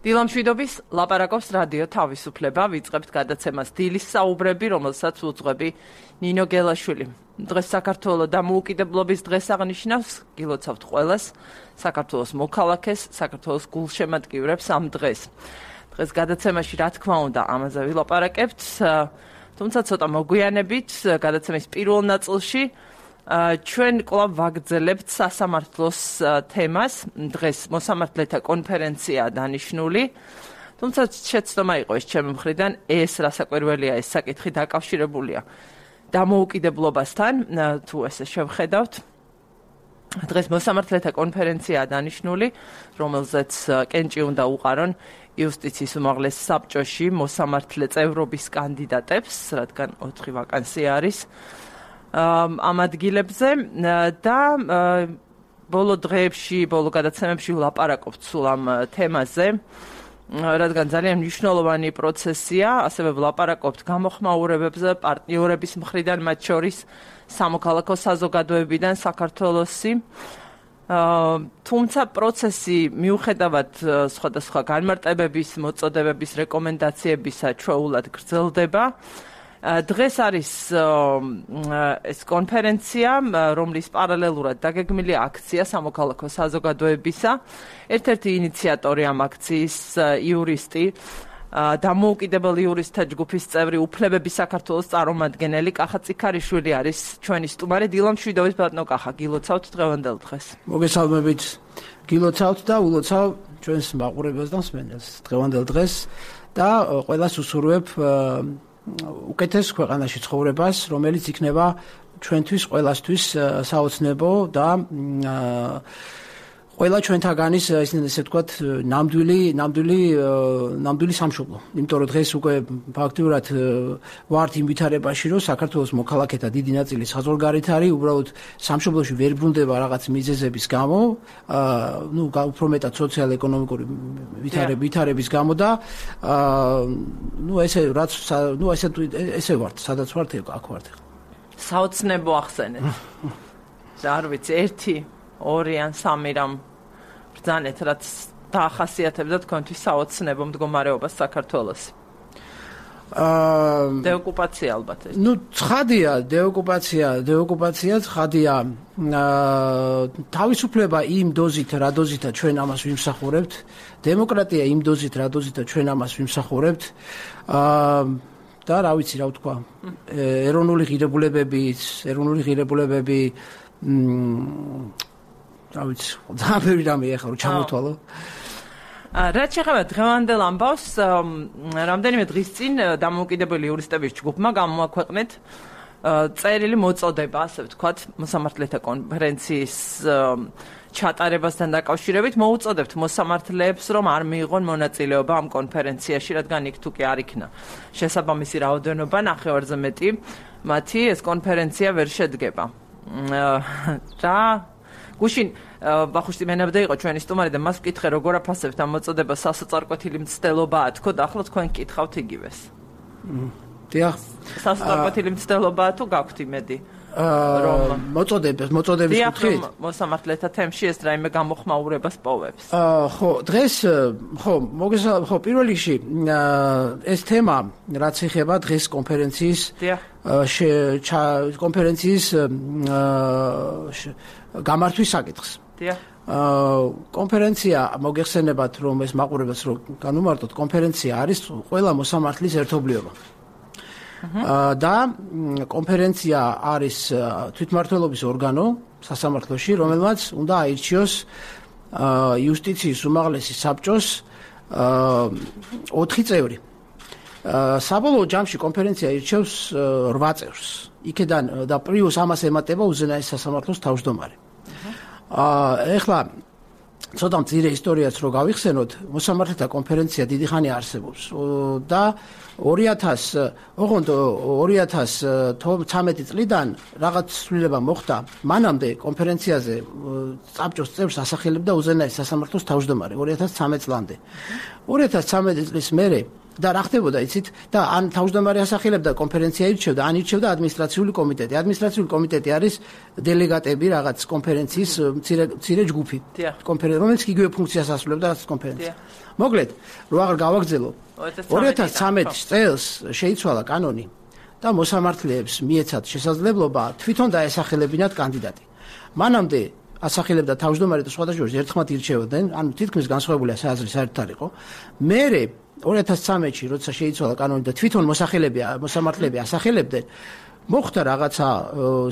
დილამშვიდობის ლაპარაკობს რადიო თავისუფლება, ვიწყებთ გადაცემას დილის საუბრები, რომელსაც უძღვები ნინო გელაშვილი. დღეს საქართველოს დამოუკიდებლობის დღეს აღნიშნავს, გილოცავთ ყველას, საქართველოს მოქალაქეს, საქართველოს გულშემატკივრებს ამ დღეს. დღეს გადაცემაში რა თქმა უნდა ამაზე ვილაპარაკებთ, თუმცა ცოტა მოგვიანებით გადაცემის პირველ ნაწილში ჩვენ კვლავ ვაგრძელებთ სასამართლოს თემას. დღეს მოსამართლეთა კონფერენციაა დანიშნული. თუმცა შეცდომა იყო ეს ჩემი მხრიდან, ეს რასაკვირველია, ეს საკითხი დაკავშირებულია დამოუკიდებლობასთან, თუ ესე შევხედავთ. დღეს მოსამართლეთა კონფერენციაა დანიშნული, რომელზეც კენჭი უნდა უყარონ იუსტიციის უმაღლეს საბჭოში მოსამართლე წევრობის კანდიდატებს, რადგან 4 ვაკანსია არის. ამ ადგილებზე და ბოლო დღეებში, ბოლო გადაცემებში ვლაპარაკობთ სულ ამ თემაზე, რადგან ძალიან მნიშვნელოვანი პროცესია, ასევე ვლაპარაკობთ გამოხმაურებებზე პარტნიორების მხრიდან, მათ შორის სამოქალაქო საზოგადოებიდან საქართველოსი. თუმცა პროცესი მიუხედავად სხვადასხვა განმარტებების, მოწოდებების, რეკომენდაციებისა ჩვეულად გრძელდება. დღეს არის ეს კონფერენცია, რომლის პარალელურად დაგეგმილია აქცია სამოქალაქო საზოგადოებისა. ერთ-ერთი ინიციატორი ამ აქციის იურისტი, დამოუკიდებელი იურისტთა ჯგუფის წევრი, უფლებების საქართველოს წარმომადგენელი კახა წიქარიშვილი არის ჩვენი სტუმარი. დილამშვიდობის ბატონო კახა, გილოცავთ დღევანდელ დღეს. მოგესალმებით, გილოცავთ და ულოცავ ჩვენს მაყურებელს და მსმენელს დღევანდელ დღეს და ყველას უსურვებ უკეთეს ქვეყანაში ცხოვრებას, რომელიც იქნება ჩვენთვის ყველასთვის საოცნებო და ყველა ჩვენთაგანის ესე ვთქვათ ნამდვილი სამშობლო. იმიტომ რომ დღეს უკვე ფაქტიურად ვართ იმ ვითარებაში, რომ საქართველოს მოქალაქეთა დიდი ნაწილი საზღვარგარეთ არის, უბრალოდ სამშობლოში ვერ ბრუნდება რაღაც მიზეზების გამო, უფრო მეტად სოციალ-ეკონომიკური ვითარების გამო და ესე ვართ, სადაც ვართ, აქ ვართ. საოცნებო ახსენეთ. არ ვიცი, 1, 2 ან 3 რამ ბრძანეთ, რაც დაახასიათებდა თქვენთვის საოცნებო მდგომარეობას საქართველოს. დეოკუპაცია ალბათ. ცხადია, დეოკუპაცია ცხადია. თავისუფლება იმ დოზით, რა დოზითაც ჩვენ ამას ვიმსახურებთ, დემოკრატია იმ დოზით, რა დოზითაც ჩვენ ამას ვიმსახურებთ. და რა ვიცი, რა ვთქვა, ეროვნული ღირებულებები რა ვიცი, ძალიან ბევრი რამე ახლა რომ ჩამოთვალო. რაც შეეხება დღევანდელ ამბავს, რამდენიმე დღის წინ დამოუკიდებელი იურისტების ჯგუფმა გამოაქვეყნეთ წერილი მოწოდება, ასე ვთქვათ, მოსამართლეთა კონფერენციის ჩატარებასთან დაკავშირებით. მოუწოდებთ მოსამართლეებს, რომ არ მიიღონ მონაწილეობა ამ კონფერენციაში, რადგან იქ თუ კი არ იქნა შესაბამისი რაოდენობა, ნახევარზე მეტი მათი ეს კონფერენცია ვერ შედგება. გუშინ ბახუშტი მენაბდა იყო ჩვენი სტუმარი და მას ვკითხე, როგორ აფასებთ ამ მოწოდებას, სასოწარკვეთილი მცდელობაა თქო და ახლა თქვენ გკითხავთ იგივეს. დიახ. სასოწარკვეთილი მცდელობაა თუ გაქვთ იმედი? მოწოდების კუთხით მოსამართლეთა თემში ეს რაიმე გამოხმაურებას პოვებს. დღეს პირველ რიგში ეს თემა რაც ეხება დღეს კონფერენციის გამართვის საკითხს. კონფერენცია მოგეხსენებათ, რომ ეს მაყურებელს რომ განუმარტოთ, კონფერენცია არის ყველა მოსამართლის ერთობლიობა. და კონფერენცია არის თვითმმართველობის ორგანო სასამართლოში, რომელმაც უნდა აირჩიოს იუსტიციის უმაღლესი საბჭოს 4 წევრი. საბოლოო ჯამში კონფერენცია ირჩევს 8 წევრს. იქედან და პლუს ამას ემატება უზენაეს სასამართლოს თავმჯდომარე. ეხლა ცოტა მცირე ისტორიაც რო გავიხსენოთ, მოსამართლეთა კონფერენცია დიდი ხანი არსებობს და 2013 წლიდან რაღაც ცვლილება მოხდა. მანამდე კონფერენციაზე საბჭოს წევრს ასახელებდა უზენაეს სასამართლოს თავმჯდომარე 2013 წლამდე. 2013 წლის მერე და რა ხდებოდა იცით და ან თავმჯდომარე ასახელებდა კონფერენცია ირჩევდა ან ირჩევდა ადმინისტრაციული კომიტეტი. ადმინისტრაციული კომიტეტი არის დელეგატები რაღაც კონფერენციის მცირე ჯგუფი. რომელიც იგივე ფუნქციას ასრულებდა რაც კონფერენცია. მოკლედ, რო აღარ გავაგრძელო, 2013 წელს შეიცვალა კანონი და მოსამართლეებს მიეცათ შესაძლებლობა თვითონ დაესახელებინათ კანდიდატი. მანამდე ასახელებდა თავმჯდომარე და სხვადასხვა ერთხმად ირჩევდნენ, ანუ თითქმის განსხვავებული აზრი საერთოდ არ იყო. მერე 2013-ში, როცა შეიცვალა კანონი და თვითონ მოსამართლეები ასახელებდნენ, მოხდა რაღაცა,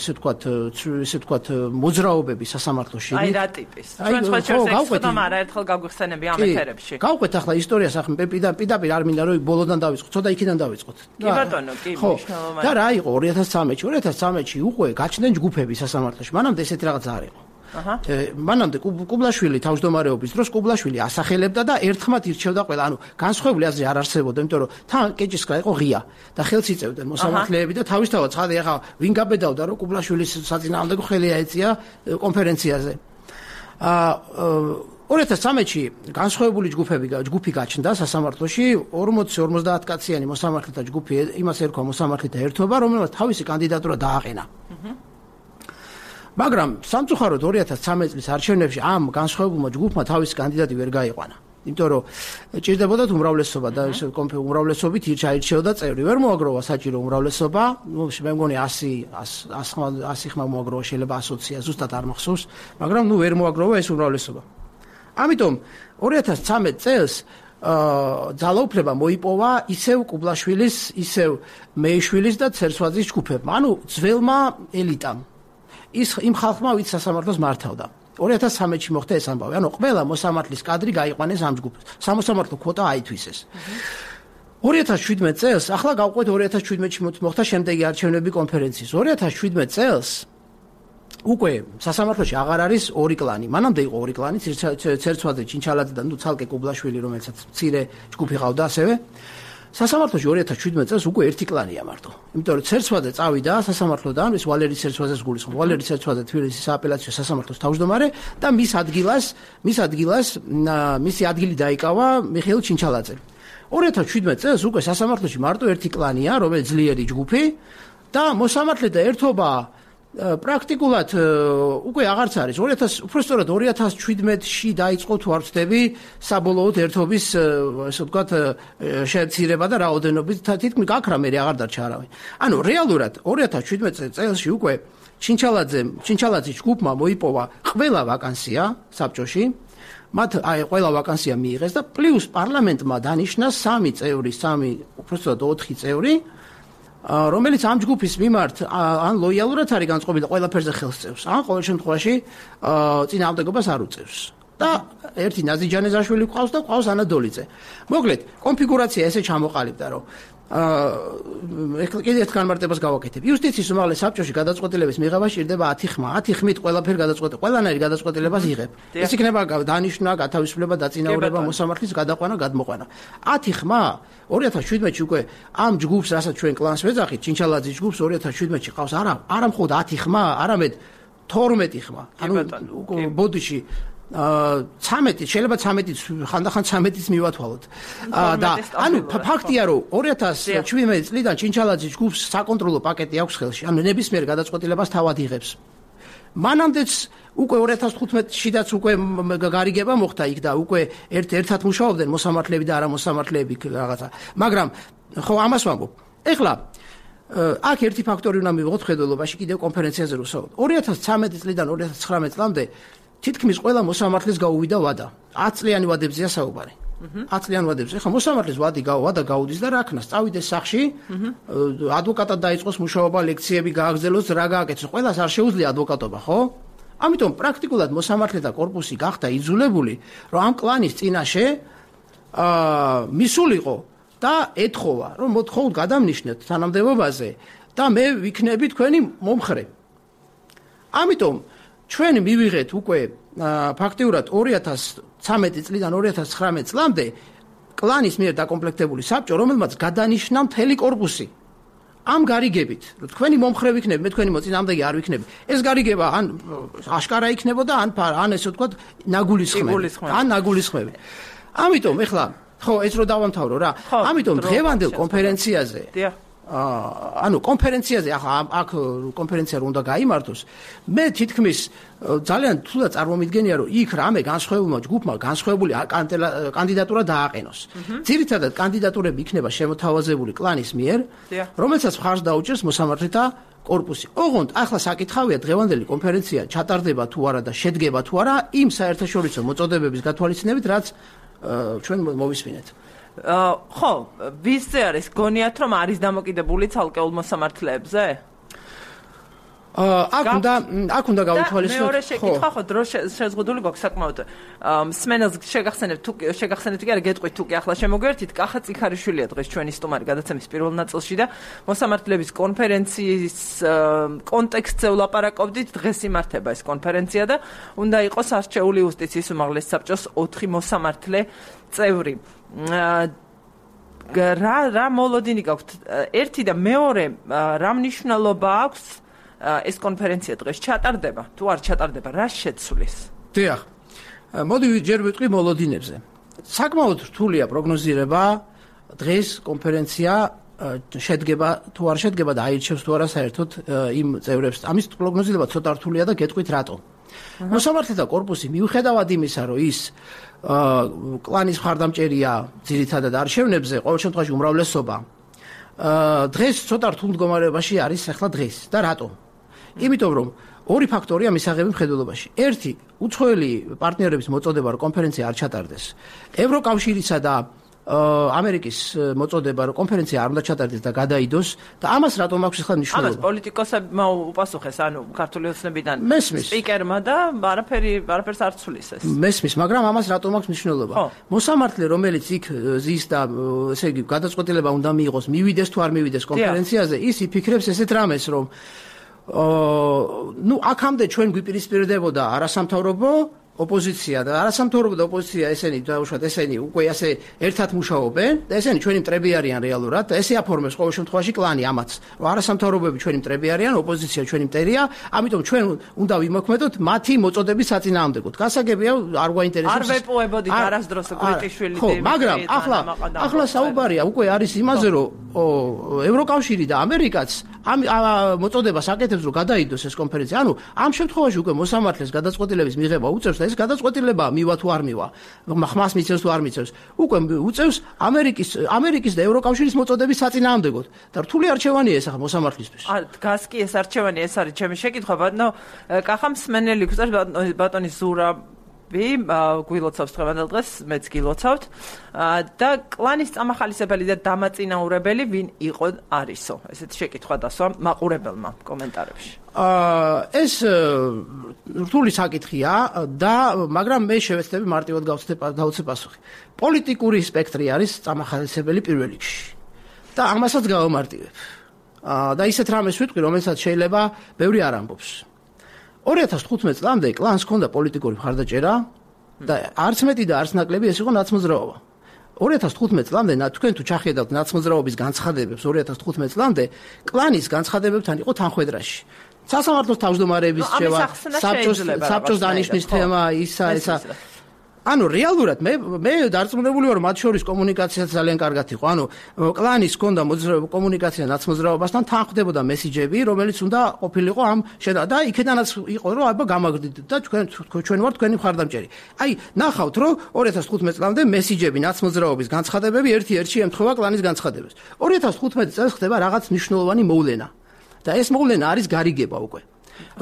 ესე ვთქვათ, მოძრაობები სასამართლოში. აი რა ტიპის. ჩვენ სხვა შევსექცოდამ არაერთხელ გაგვიხსენები ამ ეთერებში. გავყვეთ ახლა ისტორიას, ახლა პირდაპირ არ მინდა რომ ბოლოდან დავიწყოთ, ცოტა იქიდან დავიწყოთ. კი ბატონო, კი მნიშვნელოვანია. და რა იყო 2013-ში უკვე გაჩნდნენ ჯგუფები სასამართლოში. მანამდე ესეთი რაღაც არ იყო. მანამდე კუბლაშვილი თავმჯდომარეობის დროს კუბლაშვილი ასახელებდა და ერთხმად ირჩევდა ყველა. ანუ განსხვავებული აზრი არ არსებობდა, იმიტომ რომ თან კეჭისკრა იყო ღია და ხელს იწევდნენ მოსამართლეები და თავისთავად ცხადე ახლა ვინ გაბედავდა რომ კუბლაშვილის საწინააღმდეგო ხელი აეწია კონფერენციაზე. 2013-ში განსხვავებული ჯგუფი გაჩნდა სასამართლოში 40-50 კაციანი მოსამართლეთა ჯგუფი, იმას ერქვა მოსამართლეთა ერთობა, რომელმაც თავისი კანდიდატურა დააყენა. მაგრამ სამწუხაროდ 2013 წლის არჩევნებში ამ განსხვავებულმა ჯგუფმა თავისი კანდიდატი ვერ გაიყვანა. იმიტომ რომ ჭირდებოდათ უმრავლესობა და უმრავლესობით ირჩეოდა წევრი. ვერ მოაგროვა საჭირო უმრავლესობა, მე მგონი 100 ხმა მოაგროვა, შეიძლება 120, ზუსტად არ მახსოვს, მაგრამ ვერ მოაგროვა ეს უმრავლესობა. ამიტომ 2013 წელს ძალაუფლება მოიპოვა ისევ კუბლაშვილის, ისევ მეიშვილის და ცერცვაძის ჯგუფებმა, ანუ ძველმა ელიტამ. იმ ხალხმა, ვინც სასამართლოს მართავდა. 2013-ში მოხდა ეს ამბავი. ანუ ყველა მოსამართლის კადრი გაიყვანეს ამ ჯგუფს. სამოსამართლო კვოტა აითვისეს. 2017 წელს, ახლა გავყვეთ 2017-ში მოხდა შემდეგი არჩევნები კონფერენციის. 2017 წელს უკვე სასამართლოში აღარ არის ორი კლანი. მანამდე იყო ორი კლანი, ცერცვაძე, ჩინჩალაძე და ცალკე კუბლაშვილი, რომელსაც მცირე ჯგუფი ყავდა ასევე. სასამართლოში 2017 წელს უკვე ერთი კლანია მარტო. იმიტომ რომ ცერცვაძე წავიდა სასამართლოდან, ის ვალერი ცერცვაძეს გულისხმობს. ვალერი ცერცვაძე თბილისის სააპელაციო სასამართლოს თავმჯდომარე და მისი ადგილი დაიკავა მიხეილ ჩინჩალაძე. 2017 წელს უკვე სასამართლოში მარტო ერთი კლანია, რომელიც ძლიერი ჯგუფი და მოსამართლეთა ერთობა პრაქტიკულად უკვე აღარც არის. უпростоრად 2017-ში დაიწყო თუ არ ვცდები საბოლოოდ ერთობის, ესე ვთქვათ, შემცირება და რაოდენობით თითქმის გაქრა მე აღარ დარჩა არავინ. ანუ რეალურად 2017 წელსში უკვე ჩინჩალაძის ჯგუფმა მოიპოვა ყველა ვაკანსია საბჭოში. მათ ყველა ვაკანსია მიიღეს და პლუს პარლამენტმა დანიშნა 3 წევრი, უпростоრად 4 წევრი, რომელიც ამ ჯგუფის მიმართ ან ლოიალურად არის განწყობილი და ყველაფერზე ხელს წევს, ან ყოველ შემთხვევაში წინააღმდეგობას არ უწევს. და ერთი ნაზი ჯანეზაშვილი ყავს და ყავს ანა დოლიძე. მოკლედ, კონფიგურაცია ესე ჩამოყალიბდა, რომ კიდევ ერთ განმარტებას გავაკეთებ. იუსტიციის უმაღლეს საბჭოში გადაწყვეტილების მიღება სჭირდება 10 ხმა. 10 ხმით ყველანაირი გადაწყვეტილებას იღებ. ეს იქნება დანიშვნა, გათავისუფლება, დაწინაურება, მოსამართლის გადაყვანა, გადმოყვანა. 10 ხმა 2017-ში უკვე ამ ჯგუფს, რასაც ჩვენ კლანს ვეძახით, ჩინჩალაძის ჯგუფს 2017-ში ყავს არა მხოლოდ 10 ხმა, არამედ 12 ხმა. ანუ ბოდიში 13 შეიძლება 13-იც ხანდახან 13-იც მივათვალოთ. და ანუ ფაქტია რომ 2017 წლიდან ჩინჩალაძის ჯგუფს საკონტროლო პაკეტი აქვს ხელში. ანუ ნებისმიერ გადაწყვეტილებას თავად იღებს. მანამდეც უკვე 2015-შიდაც უკვე გარიგება მოხდა იქ და უკვე ერთად მუშაობდნენ მოსამართლეები და არამოსამართლეები რაღაცა. მაგრამ ხო ამას ვამბობ. ეხლა აქ ერთი ფაქტორი უნდა მივიღოთ ხედველობაში კიდევ კონფერენციაზე რო ვსაუბრობ. 2013 წლიდან 2019 წლამდე თითქმის ყველა მოსამართლეს გაუვიდა ვადა. 10 წლიანი ვადებზეა საუბარი. 10 წლიანი ვადებზე. ხა მოსამართლეს ვადა გაუდის და რა ქნას, წავიდეს სახში, ადვოკატად დაიწყოს მუშაობა, ლექციები გააგრძელოს, რა გააკეთოს. ყველას არ შეუძლია ადვოკატობა, ხო? ამიტომ პრაქტიკულად მოსამართლეთა კორპუსი გახდა იძულებული, რომ ამ კლანის წინაშე მისულიყო და ეთხოვა, რომ მოთხოვთ გადამნიშნეთ თანამდებობაზე და მე ვიქნები თქვენი მომხრე. ამიტომ ჩვენ მივიღეთ უკვე ფაქტიურად 2013 წლიდან 2019 წლამდე კლანის მიერ დაკომპლექტებული საბჭო, რომელმაც გადანიშნა მთელი კორპუსი. ამ გარიგებით, რომ თქვენი მომხრე ვიქნები, მე თქვენი მოწინააღმდეგე არ ვიქნები. ეს გარიგება ან აშკარა იქნებოდა, ან ესე ვთქვათ, ნაგულისხმები. ამიტომ ეხლა ხო, ეს რო დავამთავრო რა. ამიტომ დღევანდელ კონფერენციაზე ანუ კონფერენციაზე ახლა აქ კონფერენცია უნდა გაიმართოს. მე თითქმის ძალიან თულა წარმომიდგენია რომ იქ რამე განსხვავებულმა ჯგუფმა განსხვავებული კანდიდატურა დააყენოს. ძირითადად კანდიდატურები იქნება შემოთავაზებული კლანის მიერ, რომელსაც მხარს დაუჭერს მოსამართლეთა კორპუსი. ოღონდ ახლა საკითხავია დღევანდელი კონფერენცია ჩატარდება თუ არა და შედგება თუ არა იმ საერთაშორისო მოწოდებების გათვალისწინებით, რაც ჩვენ მოვისმინეთ. ხო, ვისზე არის გონიათ რომ არის დამოკიდებული ცალკეულ მოსამართლეებზე? აქ უნდა გავითვალისწინოთ. მეორე შეკითხვა ხო დრო შეზღუდული გვაქვს საკმაოდ. მსმენელს შეგახსენებთ კი არა გეტყვით თუ კი ახლა შემოგვერთით კახა წიქარიშვილია დღეს ჩვენი სტუმარი გადაცემის პირველ ნაწილში და მოსამართლეების კონფერენციის კონტექსტზე ვლაპარაკობდით. დღეს იმართება ეს კონფერენცია და უნდა იყოს არჩეული იუსტიციის უმაღლეს საბჭოს 4 მოსამართლე წევრი. რა მოლოდინი გაქვთ? ერთი და მეორე რა მნიშვნელობა აქვს ეს კონფერენცია დღეს ჩატარდება თუ არ ჩატარდება, რა შეცვლის? დიახ. მოდი ჯერ ვიტყვი მოლოდინებზე. საკმაოდ რთულია პროგნოზირება დღეს კონფერენცია შედგება თუ არ შედგება და აირჩევს თუ არა საერთოდ იმ წევრებს. ამის პროგნოზირება ცოტა რთულია და გეტყვით რატომ. მოსამართლეთა კორპუსი მიუხედავად იმისა, რომ ის კლანის მხარდამჭერია ძირითადად არჩევნებზე, ყოველ შემთხვევაში უმრავლესობა დღეს ცოტა რთულ მდგომარეობაში არის ახლა დღეს და რატომ? იმიტომ რომ ორი ფაქტორია მისაღები მხედველობაში. ერთი, უცხოელი პარტნიორების მოწოდება რომ კონფერენცია არ ჩატარდეს. ევროკავშირისა და ამერიკის მოწოდება რომ კონფერენცია არ უნდა ჩატარდეს და გადაიდოს და ამას რატომ აქვს ახლა მნიშვნელობა? ამას პოლიტიკოსებმა უპასუხეს, ანუ ქართული ოცნებიდან მესმის სპიკერმა და არაფერს არ ცulis ეს. მესმის, მაგრამ ამას რატომ აქვს მნიშვნელობა? მოსამართლე რომელიც იქ ზის და ესე იგი გადაწყვეტილება უნდა მიიღოს, მივიდეს თუ არ მივიდეს კონფერენციაზე, ის იფიქრებს ესეთ რამეს, რომ აქამდე ჩვენ გვიპირისპირდებოდა არასამთავრობო ოპოზიცია და არასამთავრობო და ოპოზიცია ესენი დაუშვათ ესენი უკვე ასე ერთად მუშაობენ და ესენი ჩვენი მტრები არიან რეალურად და ესე აფორმებს ყოველ შემთხვევაში კლანი ამაც რომ არასამთავრობოები ჩვენი მტრები არიან, ოპოზიცია ჩვენი მტერია, ამიტომ ჩვენ უნდა ვიმოქმედოთ მათი მოწოდების საწინააღმდეგოდ. გასაგებია არ გვაინტერესებს. არ ვეპოვებოდით არასდროს გრიტიშვილი ხო, მაგრამ ახლა საუბარია უკვე არის იმაზე რომ ევროკავშირი და ამერიკაც ამ მოწოდებას აკეთებს რომ გადაიდოს ეს კონფერენცია. ანუ ამ შემთხვევაში უკვე მოსამართლეს გადაწყვეტილების მიღება უწევს და ეს გადაწყვეტილება მივა თუ არ მივა, ხმას მიცევს თუ არ მიცევს, უკვე უწევს ამერიკის და ევროკავშირის მოწოდების საწინააღმდეგოდ. და რთული არჩევანია ეს ახლა მოსამართლისთვის. დგას კი ეს არჩევანი, ეს არის ჩემი შეკითხვა, ბატონო კახა მსმენელი გვწევს ბატონი ზურა გვილოცავს დღევანდელ დღეს, მეც გილოცავთ და კლანის წამახალისებელი და დამაწინაურებელი ვინ იყო არისო? ესეთი შეკითხვა დასვა მაყურებელმა კომენტარებში. ეს რთული საკითხია და მაგრამ მე შევეცდები მარტივად გავცე პასუხი. პოლიტიკური სპექტრი არის წამახალისებელი პირველ რიგში და ამასაც გავამარტივებ. და ისეთ რამეს ვიტყვი, რომელსაც შეიძლება ბევრი არ ამბობს. 2015 წლამდე კლანს ჰქონდა პოლიტიკური მხარდაჭერა და არც მეტი და არც ნაკლები ეს იყო ნაცმოძრაობა. 2015 წლამდე თქვენ თუ ჩახედავთ ნაცმოძრაობის განცხადებებს 2015 წლამდე კლანის განცხადებებთან იყო თანხვედრაში. სასამართლოს თავმჯდომარეების რჩევა, საბჭოს დანიშვნის თემა, ისა. ანუ რეალურად მე დარწმუნებული ვარ, მათ შორის კომუნიკაციაც ძალიან კარგად იყო. ანუ კლანის ჰქონდა კომუნიკაცია ნაცმოძრაობასთან, თანხდებოდა მესიჯები, რომელიც უნდა ყოფილიყო ამ და იქედანაც იყო, რომ აბა გამაგდით და ჩვენ ვართ თქვენი მხარდამჭერი. აი, ნახავთ, რომ 2015 წლამდე მესიჯები ნაცმოძრაობის განცხადებები ერთ-ერთში ემთხვევა კლანის განცხადებას. 2015 წელს ხდება რაღაც მნიშვნელოვანი მოვლენა. და ეს მოვლენა არის გარიგება უკვე.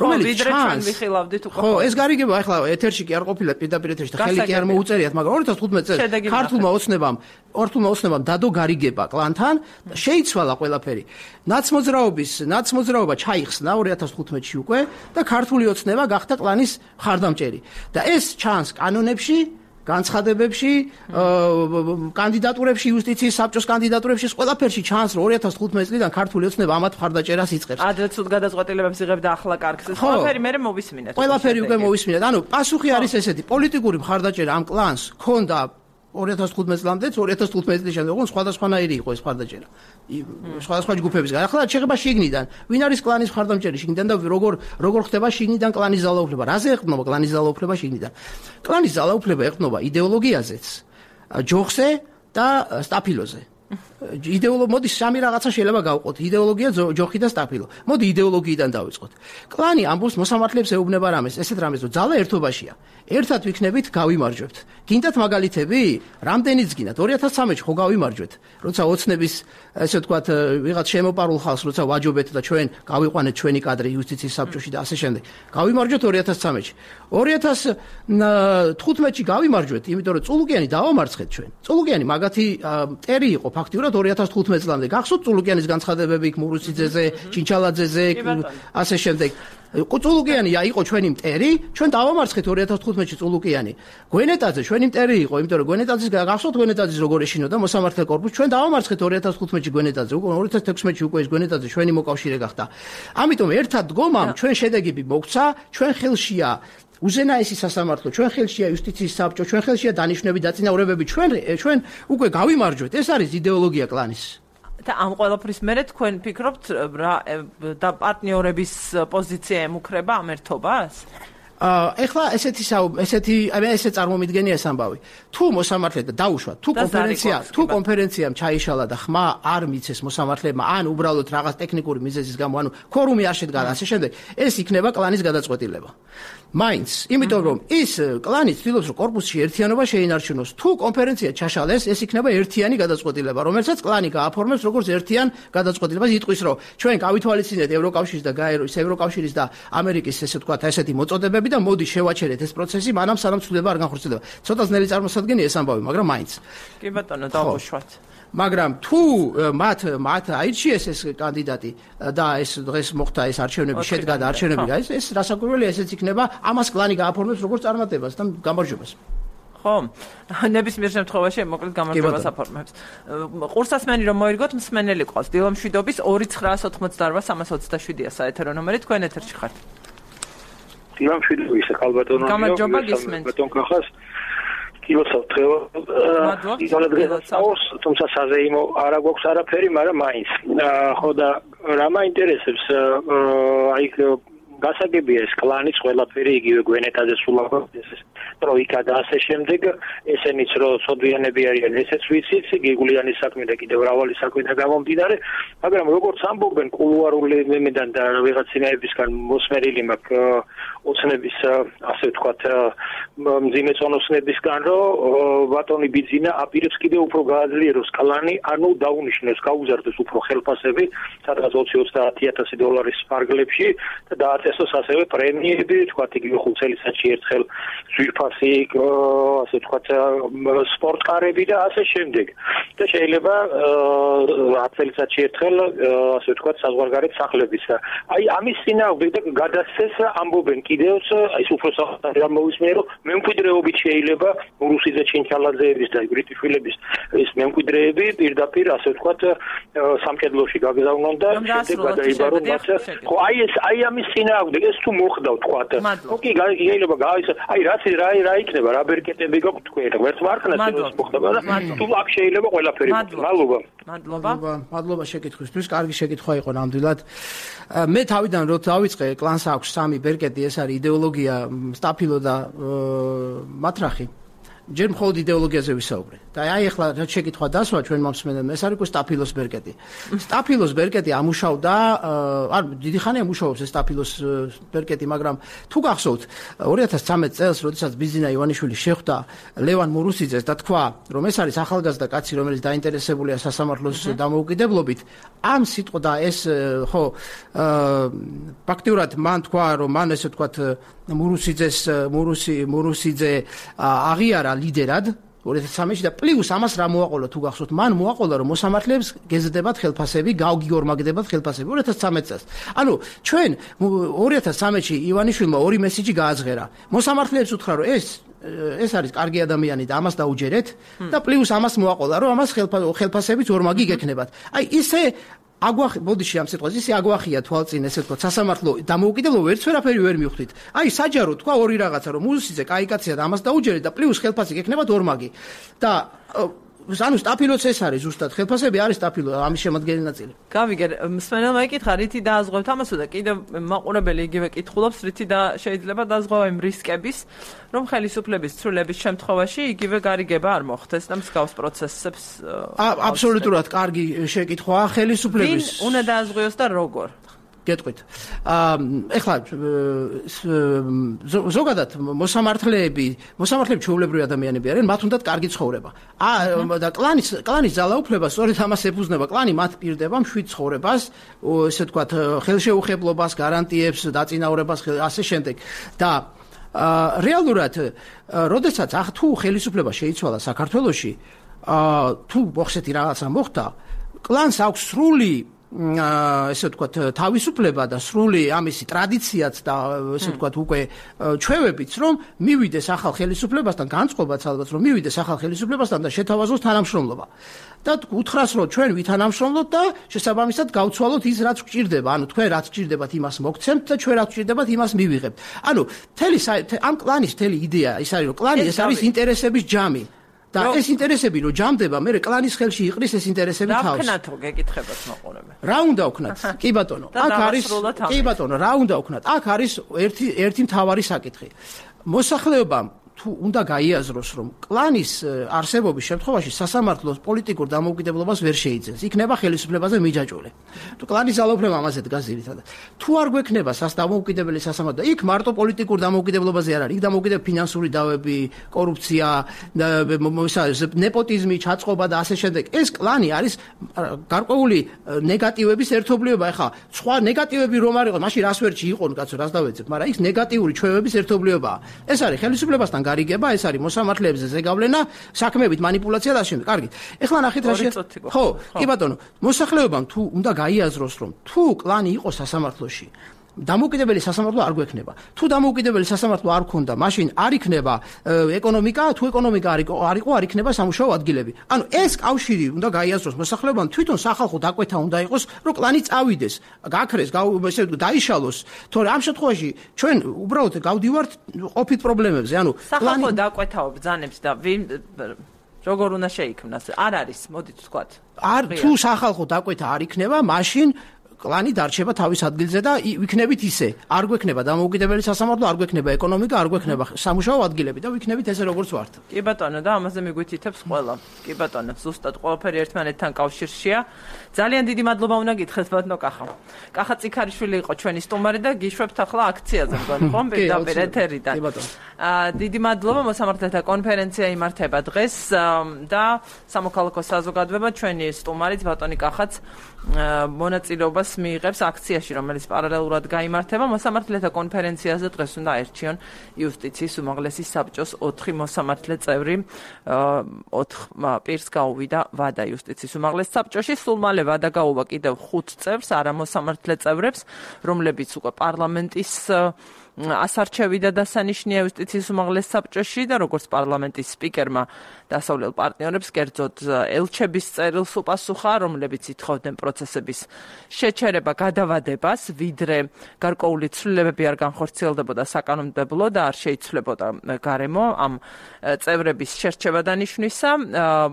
რომელიც ჩვენ ვიხილავდით უკვე. ხო, ეს გარიგება ახლა ეთერში კი არ ყოფილა პირდაპირ ეთერში და ხელი კი არ მოუწერიათ, მაგრამ 2015 წელს ქართულმა ოცნებამ დადო გარიგება კლანთან და შეიცვალა ყველაფერი. ნაცმოძრაობა ჩაიხსნა 2015-ში უკვე და ქართული ოცნება გახდა კლანის მხარდამჭერი. და ეს ჩანს კანონებში, განცხადებებში, კანდიდატურებში, იუსტიციის საბჭოს კანდიდატურებში, ყველაფერში ჩანს, რომ 2015 წლიდან ქართული ოცნება ამათ მხარდაჭერას იწყებს. ადრე ცუდ გადაწყვეტილებებს იღებდა, ახლა კარგს. ყველაფერი მე მოვისმინეთ. ყველაფერი უკვე მოვისმინეთ. ანუ პასუხი არის ესეთი, პოლიტიკური მხარდაჭერა ამ კლანს ჰქონდა 2015 წლამდე, 2015 წლის შემდეგ სხვადასხვანაირი იყო ეს მხარდაჭერა. სხვადასხვა ჯგუფებისგან. ახლა შეიძლება შიგნიდან, ვინ არის კლანის მხარდამჭერი შიგნიდან და როგორ ხდება შიგნიდან კლანის ძალაუფლება? რაზე ეყრდნობა კლანის ძალაუფლება შიგნიდან? კლანის ძალაუფლება ეყრდნობა იდეოლოგიაზეც, ჯოხზე და სტაფილოზე. მოდი სამი რაღაცა შეიძლება გავყოთ. იდეოლოგია, ჯოხი და სტაფილო. მოდი იდეოლოგიიდან დავიწყოთ. კლანი ამბობს მოსამართლეებს ეუბნება რამეს, ესეთ რამეს, რომ ძალა ერთობაშია. ერთად ვიქნებით, გავიმარჯვებთ. გინდათ მაგალითები? რამდენიც გინდათ? 2013-ში ხო გავიმარჯვეთ? როცა ოცნების, ესე ვთქვათ, ვიღაც შემოპარულ ხალხს, როცა ვაჯობეთ და ჩვენ გავიყვანეთ ჩვენი კადრი იუსტიციის საბჭოში და ასე შემდეგ. გავიმარჯვეთ 2013-ში. 2015-ში გავიმარჯვეთ, იმიტომ რომ წულუკიანი დავამარცხეთ ჩვენ. წულუკიანი მაგათი მტერი იყო ფაქტიურად 2015 წლამდე. გახსოვთ წულუკიანის განცხადებები მურუსიძეზე, ჩინჩალაძეზე, ასე შემდეგ. წულუკიანი იყო ჩვენი მტერი, ჩვენ დავამარცხეთ 2015-ში წულუკიანი. გვენეტაძე ჩვენი მტერი იყო, იმიტომ რომ გვენეტაძის გახსოვთ გვენეტაძის როგორ ეშინოდა მოსამართლე კორპუსი, ჩვენ დავამარცხეთ 2015-ში გვენეტაძე, 2016-ში უკვე ეს გვენეტაძე ჩვენი მოკავშირე გახდა. ამიტომ ერთად დგომამ ჩვენ შედეგები მოგცა, ჩვენ ხელშია უზენაესი სასამართლო, ჩვენ ხელშია იუსტიციის საბჭო, ჩვენ ხელშია დანიშნები დაწინაურებები, ჩვენ უკვე გავიმარჯვეთ. ეს არის იდეოლოგია კლანის. და ამ ყველაფრის მერე თქვენ ფიქრობთ და პარტნიორების პოზიცია ემუქრება ამ ერთობას? ეხლა ესეთი წარმომიდგენია ეს ამბავი. თუ მოსამართლე და დაუშვათ, თუ კონფერენციამ ჩაიშალა და ხმა არ მიცეს მოსამართლებმა, ან უბრალოდ რაღაც ტექნიკური მიზეზის გამო, ანუ ქორუმი არ შედგა და ასე შემდეგ, ეს იქნება კლანის გადაწყვეტილება. მაინც, იმიტომ რომ ის კლანი ცდილობს, რომ კორპუსში ერთიანობა შეინარჩუნოს. თუ კონფერენცია ჩაშალეს, ეს იქნება ერთიანი გადაწყვეტილება, რომელსაც კლანი გააფორმებს როგორც ერთიან გადაწყვეტილებას, იტყვის, რომ ჩვენ გავითვალისწინეთ ევროკავშირის და ამერიკის, ესე ვთქვათ, ესეთი მოწოდებები და მოდი შევაჩერეთ ეს პროცესი, მანამ სანამ ცვლილება არ განხორციელდება. ცოტა ძნელი წარმოსადგენია ეს ამბავი, მაგრამ მაინც. კი ბატონო, დავუშვათ. მაგრამ თუ მათ აირჩიეს ეს კანდიდატი და ეს დღეს მოხდა ეს არჩევნები, შედგა და არჩევნები ეს რასაკვირველია, ესეც იქნება ამას კლანი გააფორმებს როგორც წარმატებას და გამარჯვებას. ხო, ნებისმიერ შემთხვევაში მოკლედ გამარჯვებას აფორმებს. ყურსასმენი რომ მოირგოთ, მსმენელი ყავს. დილომშვიდობის 2988327-ია საეთერო ნომერი, თქვენ ეთერში ხართ. დილომშვიდობის ხალბატონო. გამარჯობა გისმენთ. ბატონ კახას. კილოცავთ თუმცა საზეიმო არ აქვს არაფერი, მაგრამ მაინც. ხო და რა მაინტერესებს, აი გასაგებია ეს კლანის ყველაფერი იგივე გვენეტაძე სულაბა ეს ტროიკა და ასე შემდეგ, ესენიც რომ სოდვიანები არიან, ესეც ვიცით, გიგულიანის საქმე და კიდევ მრავალი საქმე და გამომდინარე, მაგრამ როგორც ამბობენ კულუარულებიდან და ვიღაცინაებისგან მოსმენილი მაქვს ოცნების, ასე ვთქვათ, მძიმე წონოსნებისგან, რომ ბატონი ბიძინა აპირებს კიდევ უფრო გააძლიეროს კლანი, ანუ დაუნიშნოს, გაუზარდოს უფრო ხელფასები, სადღაც 20-30 დოლარის ფარგლებში და დააწესოს ასევე პრემიები, ვთქვათ, იგივე 5 წელიწადში ერთხელ ზვირფასი, ასე ვთქვათ, სპორტკარები და ასე შემდეგ. და შეიძლება 10 წელიწადში ერთხელ, ასე ვთქვათ, საზღვარგარეთ სახლებიც. აი ამის წინააღმდეგ და გადასცეს ამბობენ კიდევაც, აი უფრო საერთოდ ამოვისმენე, რომ მემკვიდრეობით შეიძლება რუსიძე ჩინჩალაძეების და ბრიტიშვილების ეს მემკვიდრეები პირდაპირ, ასე ვთქვათ, სამკედლოში გაგზავნონ და შემდეგ გადაიბარონ მათ. ხო, აი ამის წინააღმდეგ ეს თუ მოხდა, ვთქვათ. ხო კი, შეიძლება აი რა იქნება, რა ბერკეტები გაქვთ თქვენ, ვერც მარხნას ეს მოხდება და თუ აქ შეიძლება ყველაფერი. მადლობა შეკითხვისთვის, კარგი შეკითხვა იყო ნამდვილად. მე თავიდან რო დავიწყე, კლანს აქვს 3 ბერკეტი, ეს არის იდეოლოგია, სტაფილო და მატრახი. ჯერ მხოლოდ იდეოლოგიაზე ვისაუბრე. და აი ახლა რა შეკითხვა დასვა ჩვენ მომსმენელმა, ეს არის სტაფილოს ბერკეტი. სტაფილოს ბერკეტი ამუშავდა, დიდი ხანია მუშაობს ეს სტაფილოს ბერკეტი, მაგრამ თუ გახსოვთ 2013 წელს, როდესაც ბიზინა ივანიშვილი შეხვდა ლევან მურუსიძეს და თქვა, რომ ეს არის ახალგაზრდა კაცი, რომელიც დაინტერესებულია სასამართლოს დამოუკიდებლობით, ამ სიტყვა და ეს ხო ფაქტიურად მან თქვა, რომ მან ესე ვთქვათ მურუსიძე აღიარა ლიდერად 2013-ში და პლუს ამას რა მოაყოლა თუ გახსოვთ, მან მოაყოლა რომ მოსამართლეებს გეზრდებათ ხელფასები, გავგიორმაგდებათ ხელფასები 2013 წელს. ანუ ჩვენ 2013-ში ივანიშვილმა 2 მესიჯი გააძღერა. მოსამართლეებს უთხრა რომ ეს არის კარგი ადამიანი და ამას დაუჯერეთ და პლუს ამას მოაყოლა რომ ამას ხელფასებიც ორმაგი გექნებათ. აი ისე ბოდიში ამ სიტყვას ისე აგვახია თვალწინ, ესე ვთქვათ, სასამართლო დამოუკიდებლობა ვერც ვერაფერი ვერ მივხვდით. აი საჯარო თქვა ორი რაღაცა, რომ მუსიძე კაი კაცია და ამას დაუჯერეთ და პლუს ხელფასი გექნებათ ორმაგი. და ანუ სტაფილოც ეს არის ზუსტად ხელფასები არის სტაფილო ამის შემადგენელი ნაწილი. გავიგე, მსმენელმა ეკითხა, რითი დააზღვევთ ამასო და კიდევ მაყურებელი იგივე კითხულობს, რითი და შეიძლება დააზღვევა იმ რისკების, რომ ხელისუფლების ცვლილების შემთხვევაში იგივე გარიგება არ მოხდეს და მსგავს პროცესებს. აბსოლუტურად კარგი შეკითხვაა ხელისუფლების. ვინ უნდა დააზღვიოს და როგორ? გეტყვით. ეხლა ზოგადად მოსამართლეები ჩვეულებრივი ადამიანები არიან, მათ უნდათ კარგი ცხოვრება. და კლანის ძალაუფლება სწორედ ამას ეფუძნება. კლანი მათ პირდება მშვიდ ცხოვრებას, ესე ვთქვათ, ხელშეუხებლობას, გარანტიებს, დაწინაურებას, ასე შემდეგ. და რეალურად, როდესაც თუ ხელისუფლება შეიცვალა საქართველოში, თუ მოხსეთი რაღაცა მოხდა, კლანს აქვს სრული ესე ვთქვათ თავისუფლება და სრული ამისი ტრადიციაც და ესე ვთქვათ უკვე ჩვევებიც რომ მივიდეს ახალ ხელისუფლებასთან განწყობაც ალბათ რომ მივიდეს ახალ ხელისუფლებასთან და შეთავაზოს თანამშრომლობა და უთხრას რომ ჩვენ ვითანამშრომლოთ და შესაბამისად გავცვალოთ ის რაც გვჭირდება ანუ თქვენ რაც გვჭირდებათ იმას მოგცემთ და ჩვენ რაც გვჭირდებათ იმას მივიღებთ ანუ ამ კლანის მთელი იდეა ის არის რომ კლანი ეს არის ინტერესების ჯამი და ეს ინტერესები რომ ჯამდება, მე კლანის ხელში იყრის ეს ინტერესები თავს. რა ვქნათო გეკითხებათ მაყურებელს. რა უნდა ვქნათ? კი ბატონო, აქ არის კი ბატონო, რა უნდა ვქნათ? აქ არის ერთი მთავარი საკითხი. მოსახლეობამ თუ უნდა გაიაზროს, რომ კლანის არსებობის შემთხვევაში სასამართლოს პოლიტიკურ დამოუკიდებლობას ვერ შეიძენს, იქნება ხელისუფლებაზე მიჯაჭვული. თუ კლანის ძალაუფლება ამაზე დგას ძირითადად. თუ არ გვექნება დამოუკიდებელი სასამართლო, იქ მარტო პოლიტიკურ დამოუკიდებლობაზე არ არის, იქ დამოუკიდებელი ფინანსური დავები, კორუფცია, ნეპოტიზმი, ჩაწყობა და ასე შემდეგ. ეს კლანი არის გარკვეული ნეგატივების ერთობლიობა. ეხლა სხვა ნეგატივები რომ არ იყო, მაშინ რას ვერჩი იყო, კაცო, რას დავეცებ, მაგრამ იქ ნეგატიური ჩვევების ერთობლიობაა. ეს არის ხელისუფლებასთან გარიგება, ეს არის მოსამართლეებზე ზეგავლენა, საქმეებით манипуляცია და შემდეგ. კარგი. ეხლა ნახეთ რა ხო, კი ბატონო, მოსახლეობამ თუ უნდა გაიაზროს, რომ თუ კლანი იყო სასამართლოში, დამოუკიდებელი სასამართლო არ გვექნება. თუ დამოუკიდებელი სასამართლო არ ქონდა, მაშინ არ იქნება ეკონომიკა, თუ ეკონომიკა არ იყო, არ იქნება სამუშაო ადგილები. ანუ ეს კავშირი უნდა გაიაზროს მოსახლეობამ, თვითონ სახალხო დაკვეთა უნდა იყოს, რომ კლანი წავიდეს, გაქრეს, ესე დაიშალოს, თორე ამ შემთხვევაში ჩვენ უბრალოდ გავდივართ ყოფით პრობლემებზე. ანუ სახალხო დაკვეთაო ბრძანებს და როგორ უნდა შეიქმნას? არ არის, მოდით ვთქვათ. თუ სახალხო დაკვეთა არ იქნება, მაშინ კლანი დარჩება თავის ადგილზე და ვიქნებით ისე. არ გვექნება დამოუკიდებელი სასამართლო, არ გვექნება ეკონომიკა, არ გვექნება სამუშაო ადგილები და ვიქნებით ესე როგორც ვართ. კი ბატონო, და ამაზე მიგვითითებს ყველა. კი ბატონო, ზუსტად ყველაფერი ერთმანეთთან კავშირშია. ძალიან დიდი მადლობა უნდა გითხრათ ბატონო კახა. კახა წიქარიშვილი იყო ჩვენი სტუმარი და გიშვებთ ახლა აქციაზე მგონი ხომ პირდაპირ ეთერიდან. კი ბატონო. დიდი მადლობა მოსამართლეთა კონფერენცია იმართება დღეს და სამოქალაქო საზოგადოება ჩვენი სტუმარიც ბატონი კახაც მონაწილეობას მიიღებს აქციაში, რომელიც პარალელურად გაიმართება. მოსამართლეთა კონფერენციაზე დღეს უნდა აერჩიონ იუსტიციის უმაღლესი საბჭოს 4 მოსამართლე წევრი. 4 პირს გაუვიდა ვადა იუსტიციის უმაღლეს საბჭოში. სულ მალე ვადა გაუვა კიდევ 5 წევრს, არამოსამართლე წევრებს, რომლებიც უკვე პარლამენტის ასარჩევი და დასანიშნია იუსტიციის უმაღლეს საბჭოში და როგორც პარლამენტის სპიკერმა დასავლელ პარტნიორებს კერძოდ ელჩების წერილს უპასუხა, რომლებიც ითხოვდნენ პროცესების შეჩერება, გადავადებას, ვიდრე გარკვეული ცვლილებები არ განხორციელდებოდა საკანონმდებლო და არ შეიცვლებოდა გარემო ამ წევრების შერჩევა დანიშვნისა.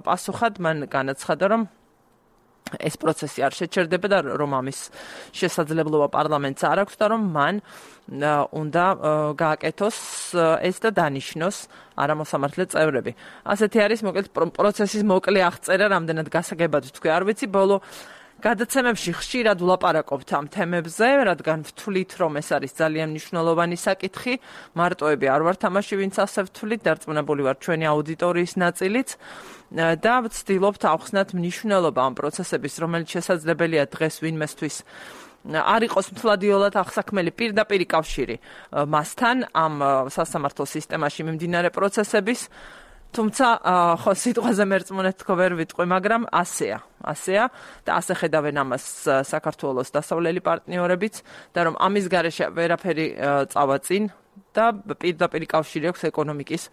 პასუხად მან განაცხადა, რომ ეს პროცესი არ შეჩერდება და რომ ამის შესაძლებლობა პარლამენტს არ აქვს და რომ მან უნდა გააკეთოს ეს და დანიშნოს არამოსამართლე წევრები. ასეთი არის მოკლედ პროცესის მოკლე აღწერა, რამდენად გასაგებად თქვი, არ ვიცი, ბოლო გადაცემებში ხშირად ვლაპარაკობთ ამ თემებზე, რადგან ვთვლით, რომ ეს არის ძალიან მნიშვნელოვანი საკითხი. მარტოები არ ვართ ამაში, ვინც ასე ვთვლით, დარწმუნებული ვარ ჩვენი აუდიტორიის ნაწილიც და ვცდილობთ ავხსნათ მნიშვნელობა ამ პროცესების, რომელიც შესაძლებელია დღეს ვინმესთვის არ იყოს მთლადიოლად აღსაქმელი პირდაპირი კავშირი მასთან ამ სასამართლო სისტემაში მიმდინარე პროცესების. თუმცა ხო სიტყვაზე მერწმუნეთ თქო ვერ ვიტყვი, მაგრამ ასეა და ასე ხედავენ ამას საქართველოს დასავლელი პარტნიორებიც და რომ ამის გარეშე ვერაფერი წავა წინ და პირდაპირი კავშირი აქვს ეკონომიკის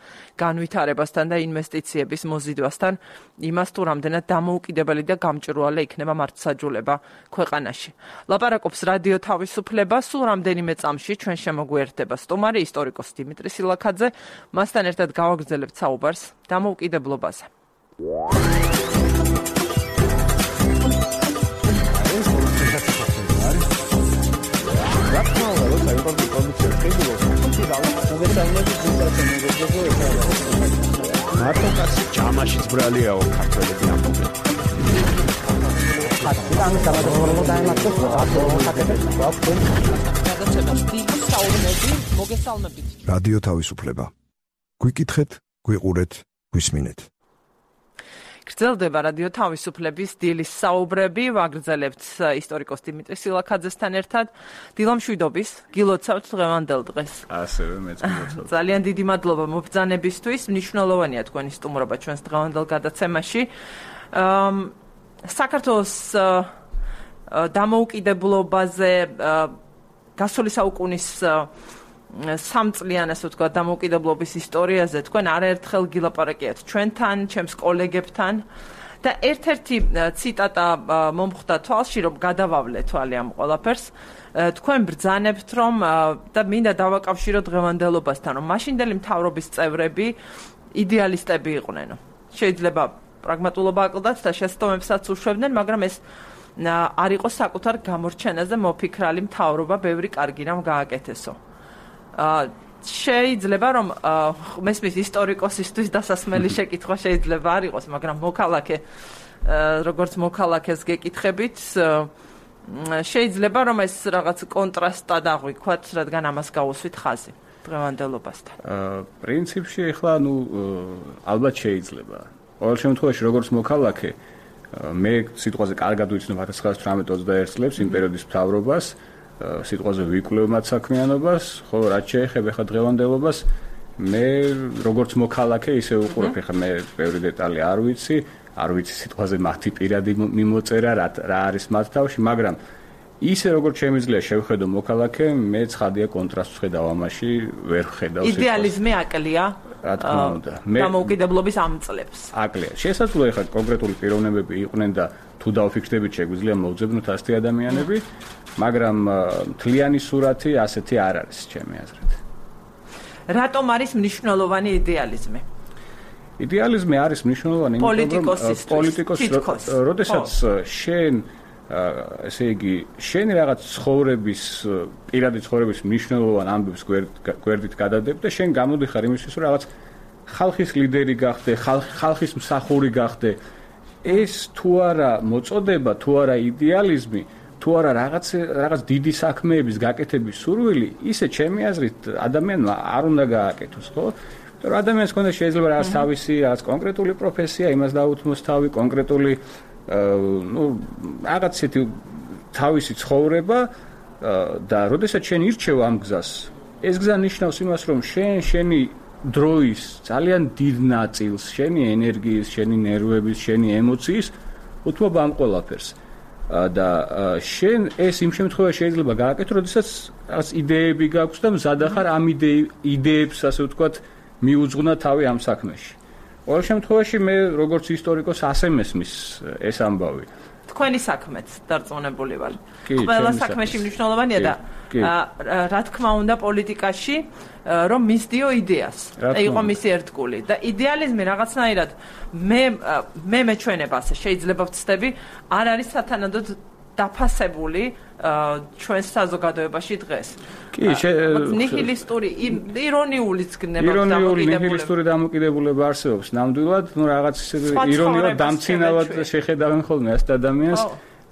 განვითარებასთან და ინვესტიციების მოზიდვასთან, იმას თუ რამდენად დამოუკიდებელი და გამჭვირვალე იქნება მართლმსაჯულება ქვეყანაში. ლაპარაკობს რადიო თავისუფლება, სულ რამდენიმე წამში ჩვენ შემოგვიერთდება სტუმარი ისტორიკოსი დიმიტრი სილაქაძე, მასთან ერთად გავაგრძელებთ საუბარს დამოუკიდებლობაზე. მარტოკაცი ჯამაშიც ბრალიაო ქართველები ამბობენ. რადიო თავისუფლება. გვიკითხეთ, გვიყურეთ, გვისმინეთ. გრძელდება რადიო თავისუფლების დილის საუბრები, ვაგრძელებთ ისტორიკოს დიმიტრი სილაქაძესთან ერთად. დილამშვიდობის, გილოცავთ დღევანდელ დღეს. ასევე მეც გილოცავ. ძალიან დიდი მადლობა მობრძანებისთვის, მნიშვნელოვანია თქვენი სტუმრობა ჩვენს დღევანდელ გადაცემაში. საქართველოს დამოუკიდებლობაზე გასული საუკუნის სამწლიან, ასე ვთქვათ, დამოუკიდებლობის ისტორიაზე თქვენ არაერთხელ გილაპარაკიათ ჩვენთან, ჩემს კოლეგებთან და ერთ-ერთი ციტატა მომხვდა თვალში, რომ გადავავლე თვალი ამ ყველაფერს. თქვენ ბრძანებთ, რომ და მინდა დავაკავშიროთ დღევანდელობასთან, რომ მაშინდელი მთავრობის წევრები იდეალისტები იყვნენ. შეიძლება პრაგმატულობა აკლდათ და შეცდომებსაც უშვებდნენ, მაგრამ ეს არ იყო საკუთარ გამორჩენაზე მოფიქრალი მთავრობა, ბევრი კარგი რამ გააკეთესო. შეიძლება რომ მესმის ისტორიკოსისთვის დასასმელი შეკითხვა შეიძლება არ იყოს, მაგრამ მოქალაქე როგორც მოქალაქეს გეკითხებით, შეიძლება რომ ეს რაღაც კონტრასტად აღვიქვათ, რადგან ამას გაუსვით ხაზი დღევანდელობასთან. პრინციპში ახლა ალბათ შეიძლება. ყოველ შემთხვევაში როგორც მოქალაქე მე სიტყვაზე კარგად ვიცნობ 1918-21 წლებს იმ პერიოდის მთავრობას, სიტყვაზე ვიკვლევ მათ საქმიანობას, ხოლო რაც შეეხება ხა დღევანდელობას, მე როგორც მოქალაქე ისე უყურებ, ხა მე ბევრი დეტალი არ ვიცი სიტყვაზე მათი პირადი მიმოწერა, რა არის მათ თავში, მაგრამ ისე როგორც შემიძლია შევხედო მოქალაქე, მე ცხადია კონტრასტს ხედავ ამაში, ვერ ხედავ სიტყვას. იდეალიზმი აკლია. რა თქმა უნდა. დამოუკიდებლობის ამ წლებს. აკლია. შესაძლოა ხა კონკრეტული პიროვნებები იყვნენ და თუ დავფიქრდებით შეგვიძლია მოვძებნოთ ასეთი ადამიანები, მაგრამ მთლიანი სურათი ასეთი არ არის ჩემი აზრით. რატომ არის მნიშვნელოვანი იდეალიზმი? იდეალიზმი არის მნიშვნელოვანი, პოლიტიკოსისთვის, როდესაც შენ ესე იგი შენი რაღაც ცხოვრების პირადი ცხოვრების მნიშვნელოვან ამბებს გვერდით გადადებ და შენ გამოდიხარ იმისთვის რომ რაღაც ხალხის ლიდერი გახდე, ხალხის მსახური გახდე. ეს თუ არა მოწოდება, თუ არა იდეალიზმი, თუ არა რაღაც დიდი საქმეების გაკეთების სურვილი, ისე ჩემი აზრით ადამიანმა არ უნდა გააკეთოს, ხო? რომ ადამიანს ქონდეს შეიძლება რაღაც თავისი, რაღაც კონკრეტული პროფესია, იმას დაუთმოს თავი, კონკრეტული რაღაც ისეთი თავისი ცხოვრება და როდესაც შენ ირჩევ ამ გზას, ეს გზა ნიშნავს იმას, რომ შენი დროის ძალიან დიდ ნაწილს, შენი ენერგიის, შენი ნერვების, შენი ემოციის უთმობ ამ ყველაფერს. და შენ ეს იმ შემთხვევაში შეიძლება გააკეთო, როდესაც რაღაც იდეები გაქვს და მზად ხარ ამ იდეებს, ასე ვთქვათ, მიუძღვნა თავი ამ საქმეში. ყოველ შემთხვევაში მე როგორც ისტორიკოს ასე მესმის ეს ამბავი. თქვენი საქმეც დარწმუნებული ვარ. ყველა საქმეში მნიშვნელოვანია და რა თქმა უნდა პოლიტიკაში რომ მისდიო იდეას. იყო მისი ერთგული და იდეალიზმი რაღაცნაირად მე მეჩვენება ასე შეიძლება ვცდები არ არის სათანადოდ დაფასებული ჩვენს საზოგადოებაში დღეს. კი, ნიჰილისტური, ირონიულიც გნება ნიჰილისტური დამოკიდებულება არსებობს. ნამდვილად, რაღაც ირონიულად დამცინავად შეხედავენ ხოლმე ასეთ ადამიანს,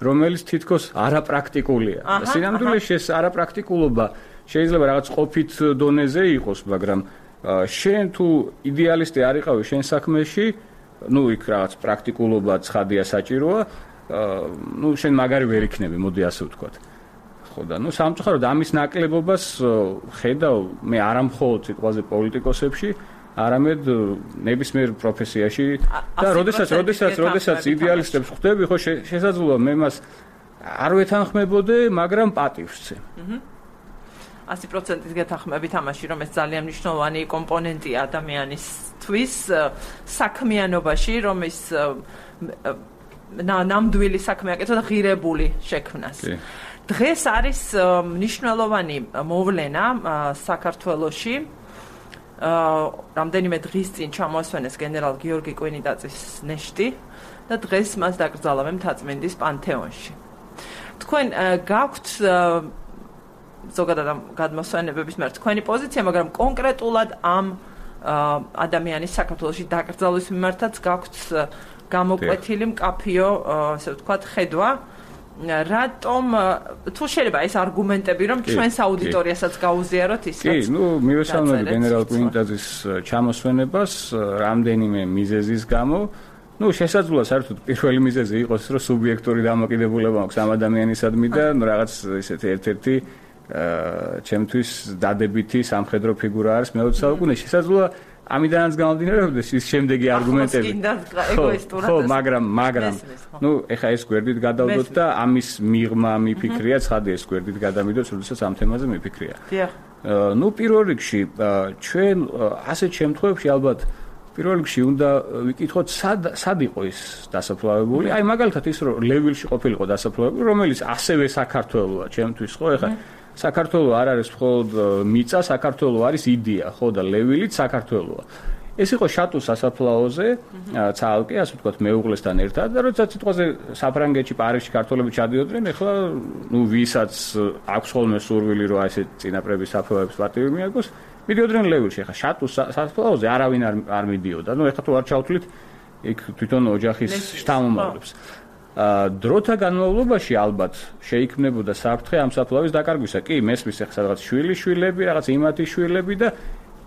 რომელიც თითქოს არაპრაქტიკულია. სინამდვილეში ეს არაპრაქტიკულობა შეიძლება რაღაც ყოფით დონეზე იყოს, მაგრამ შენ თუ იდეალისტი არ იყავი შენ საქმეში, იქ რაღაც პრაქტიკულობა ცხადია საჭიროა. შენ მაგარი ვერ იქნები, მოდი ასე ვთქვათ. ხო და სამწუხაროდ ამის ნაკლებობას ხედავ მე არა მხოლოდ სიტყვაზე პოლიტიკოსებში, არამედ ნებისმიერ პროფესიაში და როდესაც იდეალისტებს ხვდები, ხო შესაძლოა მე მას არ ვეთანხმებოდე, მაგრამ პატივს. 100%-ით გეთანხმებით ამაში, რომ ეს ძალიან მნიშვნელოვანი კომპონენტია ადამიანისთვის საქმიანობაში, რომ ის ნამდვილი საქმე აკეთო და ღირებული შექმნას. დღეს არის მნიშვნელოვანი მოვლენა საქართველოში, რამდენიმე დღის წინ ჩამოასვენეს გენერალ გიორგი კვინიტაძის ნეშტი და დღეს მას დაკრძალავენ მთაწმინდის პანთეონში. თქვენ გაქვთ ზოგადად ამ გადმოსვენებების მიმართ თქვენი პოზიცია, მაგრამ კონკრეტულად ამ ადამიანის საქართველოში დაკრძალვის მიმართაც გაქვთ გამოკვეთილი მკაფიო, ასე ვთქვათ, ხედვა. რატომ თუ შეიძლება ეს არგუმენტები რომ ჩვენს აუდიტორიასაც გაუზიაროთ ის რაც კი, მივესალმები გენერალ კვინიტაძის ჩამოსვენებას რამდენიმე მიზეზის გამო. შესაძლოა საერთოდ პირველი მიზეზი იყოს, რომ სუბიექტური დამოკიდებულება აქვს ამ ადამიანისადმი და რაღაც ესეთი ერთ-ერთი ჩემთვის დადებითი სამხედრო ფიგურა არის მე-20 საუკუნეში. შესაძლოა ამიდანაც გამომდინარეობდეს ის შემდეგი არგუმენტები. ხო, მაგრამ ეხა ეს გვერდით გადავდოთ და ამის მიღმა მიფიქრია, ცხადია ეს გვერდით გადამიდოთ, როდესაც ამ თემაზე მიფიქრია. პირველ რიგში ჩვენ ასეთ შემთხვევებში ალბათ პირველ რიგში უნდა ვიკითხოთ სად იყო ის დასაფლავებული. აი მაგალითად ის რომ ლევილში ყოფილიყო დასაფლავებული, რომელიც ასევე საქართველოა ჩემთვის, ხო, ეხა საქართველო არ არის მხოლოდ მიწა, საქართველო არის იდეა, ხო და ლევილიც საქართველოა. ეს იყო შატუს სასაფლაოზე, ცალკე, ასე ვთქვათ, მეუღლესთან ერთად და როდესაც სიტყვაზე საფრანგეთში, პარიზში ქართველები ჩადიოდნენ, ეხლა ვისაც აქვს ხოლმე სურვილი, რომ აი ეს წინაპრების საფლავების პატივი მიაგოს, მიდიოდნენ ლევილში. ეხლა შატუს სასაფლაოზე არავინ არ მიდიოდა. ეხლა თუ არ ჩავთვლით, იქ თვითონ ოჯახის შთამომავლებს. დროთა განმავლობაში ალბათ შეიქმნებოდა საფრთხე ამ საფლავის დაკარგვისა. კი, მესმის ახლა რაღაც შვილები, რაღაც იმათი შვილები და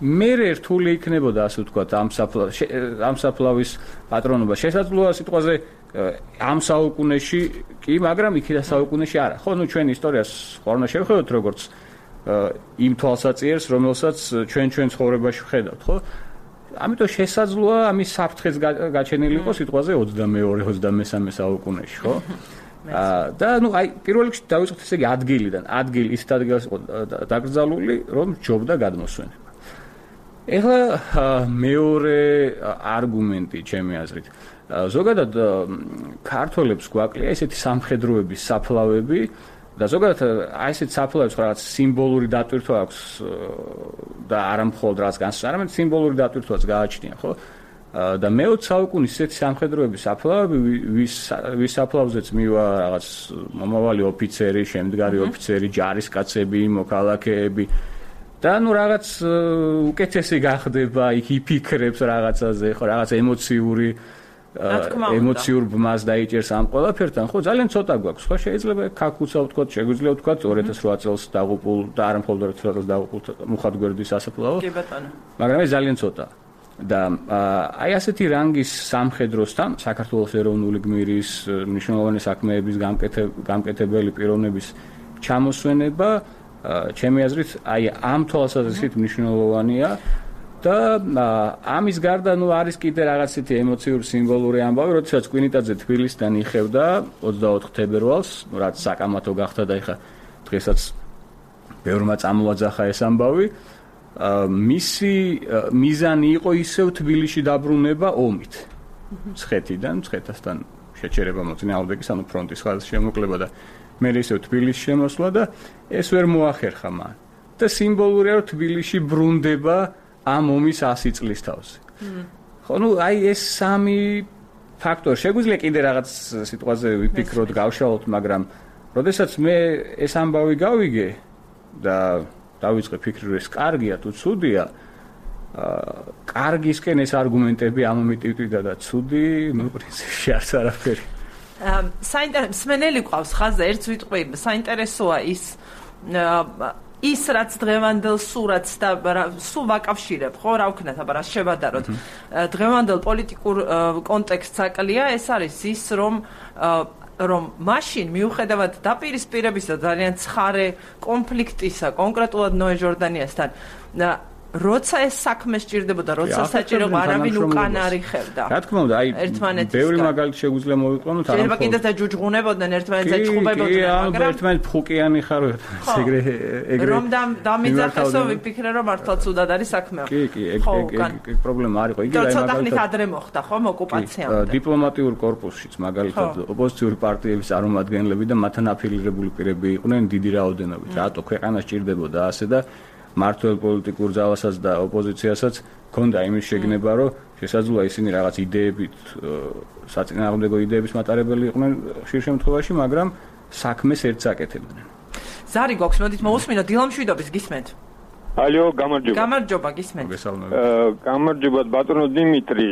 მერე რთული იქნებოდა, ასე ვთქვათ, ამ საფლავის პატრონობა. შესაძლოა სიტყვაზე ამ საუკუნეში კი, მაგრამ იქიდან საუკუნეში არა. ხო, ჩვენ ისტორიას ხორნა შევხედოთ როგორც იმ თვალსაჩინოს, რომელსაც ჩვენ ცხოვრებაში ვხედავთ, ხო? ამიტომ შესაძლოა ამის საფრთხეც გაჩენილი იყოს სიტყვაზე 22-23 საუკუნეში, ხო? და აი პირველ რიგში დავიწყოთ ესე იგი ადგილიდან. ისეთ ადგილას იყო დაკრძალული, რომ ჯობდა გადმოსვენება. ეხლა მეორე არგუმენტი ჩემი აზრით. ზოგადად ქართველებს გვაკლია ესეთი სამხედროების საფლავები და ზოგადად აი ესეთ საფლავებს რაღაც სიმბოლური დატვირთვა აქვს და არა მხოლოდ რაღაც განსაზღვრა, არამედ სიმბოლური დატვირთვაც გააჩნია, ხო? და მე-20 საუკუნის ესეთი სამხედროების საფლავები, ვის საფლავზეც მივა რაღაც მომავალი ოფიცერი, შემდგარი ოფიცერი, ჯარისკაცები, მოქალაქეები და რაღაც უკეთესი გახდება, იქ იფიქრებს რაღაცაზე, ხო, რაღაც ემოციურ ბმას დაიჭერს ამ ყველაფერთან, ხო, ძალიან ცოტა გვაქვს, ხო, შეიძლება ქაქუცა ვთქვათ, შეგვიძლია ვთქვათ 2008 წელს დაღუპულ და არა მხოლოდ 2008 წელს დაღუპულ მუხათგვერდის სასაფლაო. კი ბატონო. მაგრამ ეს ძალიან ცოტა. და აი ასეთი რანგის სამხედროსთან, საქართველოს ეროვნული გმირის, მნიშვნელოვანი საქმეების გამკეთებელი პიროვნების ჩამოსვენება, ჩემი აზრით, აი ამ თვალსაზრისით მნიშვნელოვანია. და ამის გარდა არის კიდე რაღაცეთი ემოციური სიმბოლური ამბავი, როდესაც კვინიტაძე თბილისიდან იხევდა 24 თებერვალს, რაც საკამათო გახდა და ეხა დღესაც ბევრმა წამოაძახა ეს ამბავი. მისი მიზანი იყო ისევ თბილისში დაბრუნება ომით. მცხეთასთან შეჩერება მოწინააღმდეგის, ანუ ფრონტის ხაზის შემოკლება და მე ისევ თბილისში შემოსვლა და ეს ვერ მოახერხა მან. და სიმბოლურია, რომ თბილისში ბრუნდება ამ ომის 100 წლის თავზე. ხო, აი ეს სამი ფაქტორი შეგვიძლია კიდე რაღაც სიტყვაზე ვიფიქროთ, გავშალოთ, მაგრამ როდესაც მე ეს ამბავი გავიგე და დავიწყე ფიქრი, რომ ეს კარგია თუ ცუდია, კარგისკენ ეს არგუმენტები ამომიტივტვიდა და ცუდი, პრინციპში არც არაფერი. მსმენელი ყავს ხაზზე, ერთს ვიტყვი, საინტერესოა ის რაც დღევანდელ სურათს და სულ ვაკავშირებ, ხო, რა ვქნათ, აბა რა შევადაროთ. დღევანდელ პოლიტიკურ კონტექსტს აკლია, ეს არის ის, რომ მაშინ მიუხედავად დაპირისპირებისა ძალიან ცხარე კონფლიქტისა, კონკრეტულად ნოე ჟორდანიასთან, როცა ეს საქმე სჭირდებოდა, როცა საჭირო არავინ უკან არ იხევდა. რა თქმა უნდა, აი ბევრი მაგალითი შეგვიძლია მოვიყვანოთ, არა. შეიძლება კიდეც დაჯუჯღუნებოდნენ, ერთმანეთს ეჭხუბებოდნენ, მაგრამ ერთმანეთ ფუკიანი ხაროთ, ეგრე. რომ დამიძახესო ვიფიქრე, რომ მართლაც უდად არის საქმე. კი, ეგ პრობლემა არ იყო. იგი აი მაგალითად ადრე მოხდა, ხო, ოკუპაციამდე. დიპლომატიურ კორპუსშიც მაგალითად ოპოზიციური პარტიების წარმომადგენლები და მათთან აფილირებული პირები იყვნენ დიდი რაოდენობით. რატო ქვეყანა სჭირდებოდა ასე და მართლ პოლიტიკურ ძალასაც და ოპოზიციასაც ქონდა იმის შეგნება, რომ შესაძლოა ისინი რაღაც იდეებით, საწინააღმდეგო იდეების მატარებელი იყვნენ ხშირ შემთხვევაში, მაგრამ საქმეს ერთს აკეთებდნენ. ზარი გვაქვს, მოდით მოусმინოთ დილამშვიდობის გისმენთ. ალო, გამარჯობა. გამარჯობა, გისმენთ. გამარჯობა ბატონო დიმიტრი,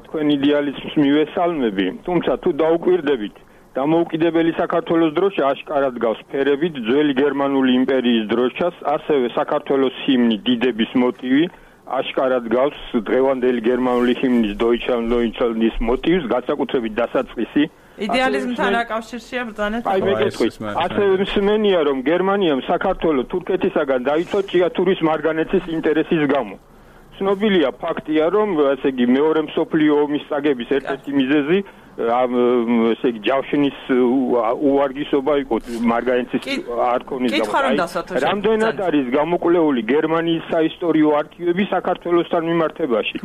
თქვენ იდეალიზმს მივესალმები, თუმცა თუ დაუკვირდებით, დამოუკიდებელი საქართველოს დროშა აშკარად გავს ფერებით ძველი გერმანული იმპერიის დროშას, ასევე საქართველოს ჰიმნი დიდების მოტივი აშკარად გავს დღევანდელი გერმანული ჰიმნის Deutschland-ის მოტივს, განსაკუთრებით დასაწყისი. იდეალიზმთან აკავშირშია ბრძანეთ. აი მეკითხვის. ასევე მსმენია, რომ გერმანიამ საქართველოს თურქეთისაგან დაიცვა ჭიათურის მარგანეცის ინტერესის გამო. ცნობილია ფაქტია, რომ ესე იგი მეორე მსოფლიო ომის წაგების ერთ-ერთი მიზეზი ესე იგი ჯავშნის უვარგისობა იყო მარგანეცის არქონის გამო. რამდენად არის გამოკვლეული გერმანიის საისტორიო არქივები საქართველოსთან მიმართებაში?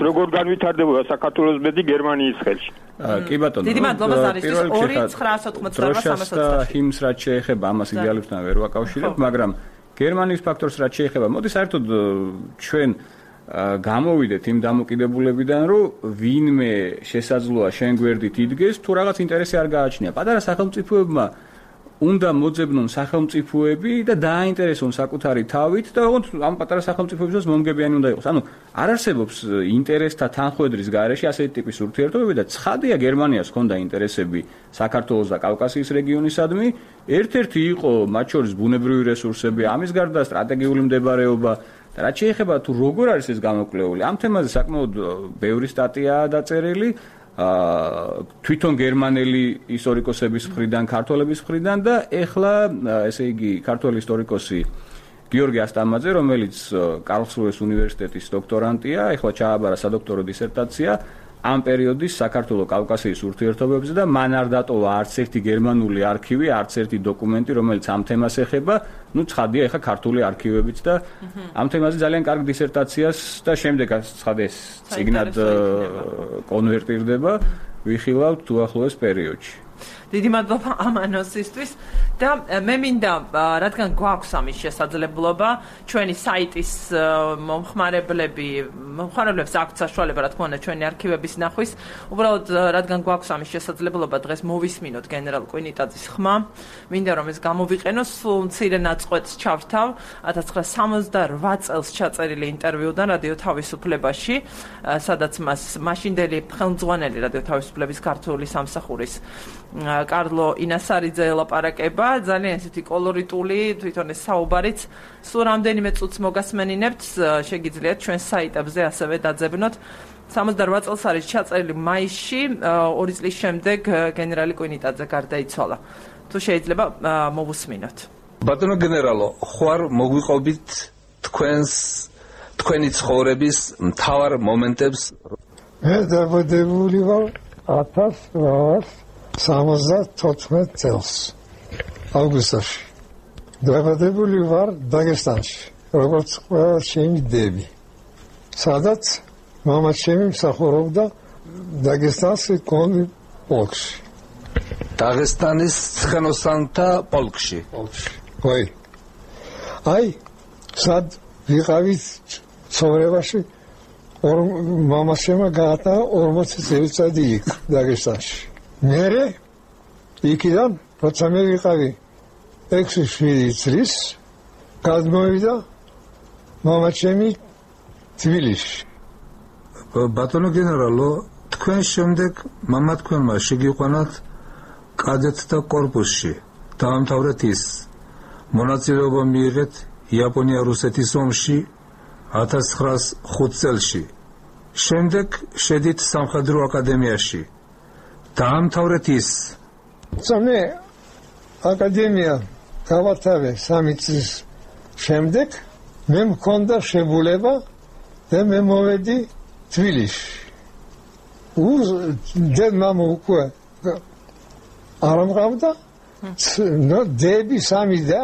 როგორ განვითარდებოდა საქართველოს ბედი გერმანიის ხელში? კი ბატონო. დიდი მადლობა ზარისთვის 2988 ჰიმს რაც შეეხება ამას იდეალისტთან ვერ ვაკავშირებ, მაგრამ გერმანიის ფაქტორს რაც შეეხება, მოდი საერთოდ ჩვენ გამოვიდეთ იმ დამოკიდებულებიდან, რომ ვინმე შესაძლოა შენ გვერდით იდგეს, თუ რაღაც ინტერესი არ გააჩნია. პატარა სახელმწიფოებმა უნდა მოძებნონ სახელმწიფოები და დააინტერესონ საკუთარი თავით და ოღონდ ამ პატარა სახელმწიფოებისთვის მომგებიანი უნდა იყოს. ანუ არ არსებობს ინტერესთა თანხვედრის გარეშე ასეთი ტიპის ურთიერთობები და ცხადია გერმანიას ჰქონდა ინტერესები საქართველოს და კავკასიის რეგიონისადმი. ერთ-ერთი იყო მათ შორის ბუნებრივი რესურსები, ამის გარდა სტრატეგიული მდებარეობა და რაც შეეხება თუ როგორ არის ეს გამოკვლეული, ამ თემაზე საკმაოდ ბევრი სტატიაა დაწერილი. თვითონ გერმანელი ისტორიკოსების მხრიდან, ქართველების მხრიდან და ეხლა ესე იგი ქართველი ისტორიკოსი გიორგი ასტამაძე, რომელიც კარლსრუეს უნივერსიტეტის დოქტორანტია, ეხლა ჩააბარა სადოქტორო დისერტაცია ამ პერიოდის საქართველოს კავკასიის ურთიერთობებზე და მან არ დატოვა არც ერთი გერმანული არქივი, არც ერთი დოკუმენტი, რომელიც ამ თემას ეხება. ნუ ცხადია ეხლა ქართული არქივებიც და ამ თემაზე ძალიან კარგ დისერტაციას და შემდეგ ცხადია წიგნად კონვერტირდება, ვიხილავთ უახლოეს პერიოდში. დიდი მადლობა ამ ანონსისთვის და მე მინდა რადგან გვაქვს ამის შესაძლებლობა ჩვენი საიტის მომხმარებლებს აქვთ საშუალება რა თქმა უნდა ჩვენი არქივების ნახვის უბრალოდ რადგან გვაქვს ამის შესაძლებლობა დღეს მოვისმინოთ გენერალ კვინიტაძის ხმა მინდა რომ ეს გამოვიყენოს სულ მცირე ნაწყვეტს ჩავრთავ 1968 წელს ჩაწერილი ინტერვიუდან რადიო თავისუფლებაში სადაც მას მაშინდელი ხელმძღვანელი რადიო თავისუფლების ქართული სამსახურის კარლო ინასარიძე ელაპარაკება ძალიან ესეთი კოლორიტული თვითონ ეს საუბარიც სულ რამდენიმე წუთს მოგასმენინებთ შეგიძლიათ ჩვენ საიტებზე ასევე დაძებნოთ 68 წელს არის ჩაწერილი მაისში 2 წლის შემდეგ გენერალი კვინიტაძე გარდაიცვალა თუ შეიძლება მოვუსმინოთ ბატონო გენერალო ხوار მოგვიყობით თქვენი ცხოვრების მთავარ მომენტებს მე დაბადებული ვარ 1974 წელს აუგუსტში დაბადებული ვარ დაგესტანში როგორც ყველა ჩემი დები სადაც მამა ჩემი მსახურობდა დაგესტანში პოლკში დაღესტანის ცხენოსანთა პოლკში ვაი აი სად ვიყავით ცხოვრებაში მამა შემა გაატარა 40 წელიწადი იქ დაგესტანში მერე იქიდან როცა მე ვიყავი 6-7 წლის გადმოვიდა მამა ჩემი თბილისში ბატონო გენერალო თქვენ შემდეგ მამა თქვენმა შეგიყვანათ კადეტთა კორპუსში დაამთავრეთ ის მონაწილეობა მიიღეთ იაპონია-რუსეთის ომში 1905 წელში შემდეგ შედით სამხედრო აკადემიაში დაამთავრეთ ის მე აკადემია გავათავე 3 წლის შემდეგ მე მქონდა შეგულება და მე მოვედი თბილისში დედმამ უკვე არ ამყავდა დები 3 და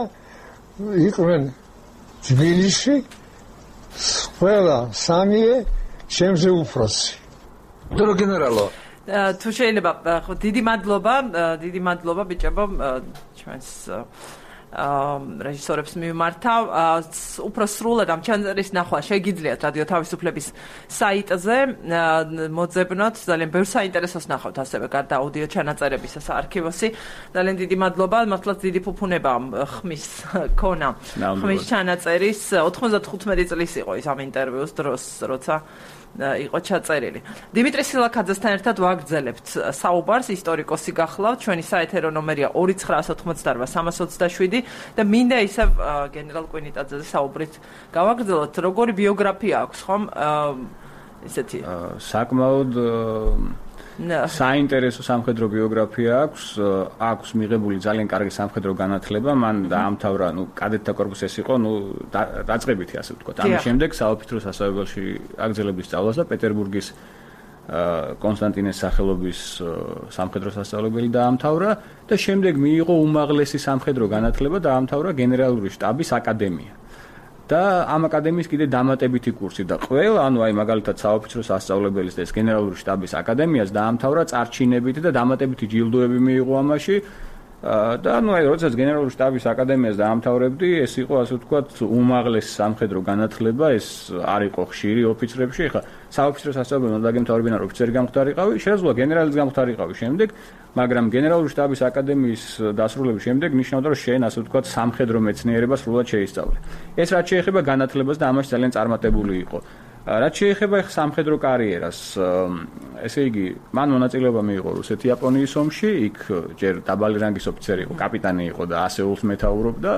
იყვნენ თბილისში ყველა 3-ე ჩემზე უფროსი ბატონო გენერალო თუ შეიძლება დიდი მადლობა ბიჭებო ჩვენს რეჟისორებს მიმართავ. უფრო სრულად ამ ჩანაწერის ნახვა შეგიძლიათ რადიო თავისუფლების საიტზე მოძებნოთ. ძალიან ბევრ საინტერესოს ნახავთ ასევე გარდა აუდიო ჩანაწერებისა საარქივოსი. ძალიან დიდი მადლობა, მართლაც დიდი ფუფუნება ხმის ქონა. ხმის ჩანაწერის 95 წლის იყო ის ამ ინტერვიუს დროს, როცა იყო ჩაწერილი. დიმიტრი სილაქაძესთან ერთად ვაგრძელებთ საუბარს, ისტორიკოსი გახლავთ. ჩვენი საეთერო ნომერია 2988-327 და მინდა ისევ გენერალ კვინიტაძეზე საუბრით გავაგრძელოთ. როგორი ბიოგრაფია აქვს, ხომ? ისეთი საკმაოდ საინტერესო სამხედრო ბიოგრაფია აქვს მიღებული ძალიან კარგი სამხედრო განათლება, მან დაამთავრა, კადეტთა კორპუსი ეს იყო, დაწყებითი ასე ვთქვათ. ამის შემდეგ საოფიცრო სასწავლებელში აგრძელების სწავლას და პეტერბურგის კონსტანტინეს სახელობის სამხედრო სასწავლებელი დაამთავრა და შემდეგ მიიღო უმაღლესი სამხედრო განათლება, დაამთავრა გენერალური შტაბის აკადემია. და ამ აკადემიის კიდე დამატებითი კურსი და ყველა, მაგალითად საოფიცრო სასწავლებელის და ეს გენერალური შტაბის აკადემიას დაამთავრა წარჩინებით და დამატებითი ჯილდოები მიიღო ამაში და როდესაც გენერალური შტაბის აკადემიას დაამთავრებდი, ეს იყო ასე ვთქვათ უმაღლესი სამხედრო განათლება, ეს არ იყო ხშირი ოფიცრებში, ხა საოფიცრო სასწავლებელმა დაგემთავრებინა რომ ოფიცერი გამხდარიყავი, შეძლო გენერალიც გამხდარიყავი შემდეგ, მაგრამ გენერალური შტაბის აკადემიის დასრულების შემდეგ ნიშნავდა რომ შენ ასე ვთქვათ სამხედრო მეცნიერებას სრულად შეისწავლე. ეს რაც შეეხება განათლებას და ამაში ძალიან წარმატებული იყო. რაც შეეხება სამხედრო კარიერას, ესე იგი, მან მონაწილეობა მიიღო რუსეთ-იაპონიის ომში, იქ ჯერ დაბალი რანგის ოფიცერი იყო, კაპიტანი იყო და ასეულს მეთაურობდა.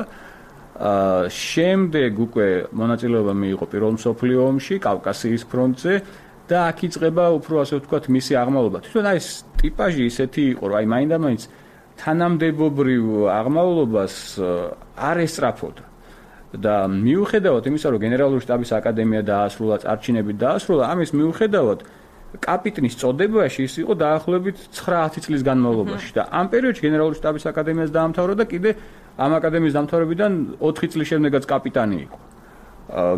შემდეგ უკვე მონაწილეობა მიიღო პირველ მსოფლიო ომში, კავკასიის ფრონტზე და აქ იწყება უფრო ასე ვთქვათ მისი აღმავლობა. თვითონ ეს ტიპაჟი ისეთი იყო, რომ მაინდა-მაინც თანამდებობრივ აღმავლობას არ ესწრაფოდა. და მიუხედავად იმისა, რომ გენერალური შტაბის აკადემია დაასრულა, წარჩინებით დაასრულა, ამის მიუხედავად კაპიტნის წოდებაში ის იყო დაახლოებით 9-10 წლის განმავლობაში და ამ პერიოდში გენერალური შტაბის აკადემიას დაამთავრა და კიდე ამ აკადემიის დამთავრებიდან 4 წლის შემდეგაც კაპიტანი იყო.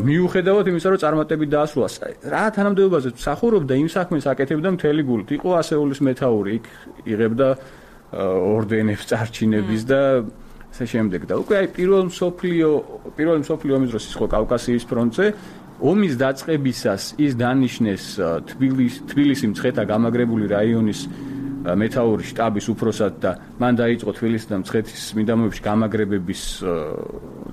მიუხედავად იმისა, რომ წარმატებით დაასრულა, რა თანამდებობაზე მსახურობდა, იმ საქმეს აკეთებდა მთელი გულით. იყო ასეულის მეთაური, იქ იღებდა ორდენებს, წარჩინების და ასე შემდეგ და უკვე პირველ მსოფლიო ომის დროს იყო კავკასიის ფრონტზე. ომის დაწყებისას ის დანიშნეს თბილისი მცხეთა გამაგრებული რაიონის მეთაური შტაბის უფროსად და მან დაიწყო თბილისის და მცხეთის მიდამოებში გამაგრებების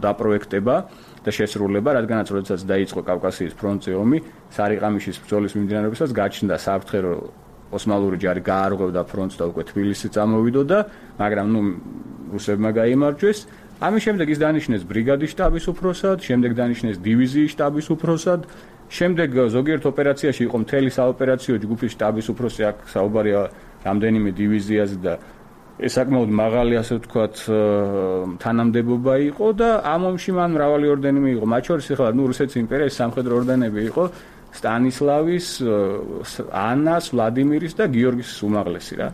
დაპროექტება და შესრულება, რადგანაც როდესაც დაიწყო კავკასიის ფრონტზე ომი, სარიყამიშის ბრძოლის მიმდინარეობისას გაჩნდა საფრთხე, რომ ოსმალური ჯარი გაარღვევდა ფრონტს და უკვე თბილისი წამოვიდოდა, მაგრამ რუსებმა გაიმარჯვეს. ამის შემდეგ ის დანიშნეს ბრიგადის შტაბის უფროსად, შემდეგ დანიშნეს დივიზიის შტაბის უფროსად, შემდეგ ზოგიერთ ოპერაციაში იყო მთელი საოპერაციო ჯგუფის შტაბის უფროსი, აქ საუბარია რამდენიმე დივიზიაზე და ეს საკმაოდ მაღალი ასე ვთქვათ თანამდებობა იყო და ამ ომში მან მრავალი ორდენი მიიღო. მათ შორის ახლა რუსეთის იმპერიის სამხედრო ორდენები იყო სტანისლავის, ანას, ვლადიმირის და გიორგის უმაღლესი რა.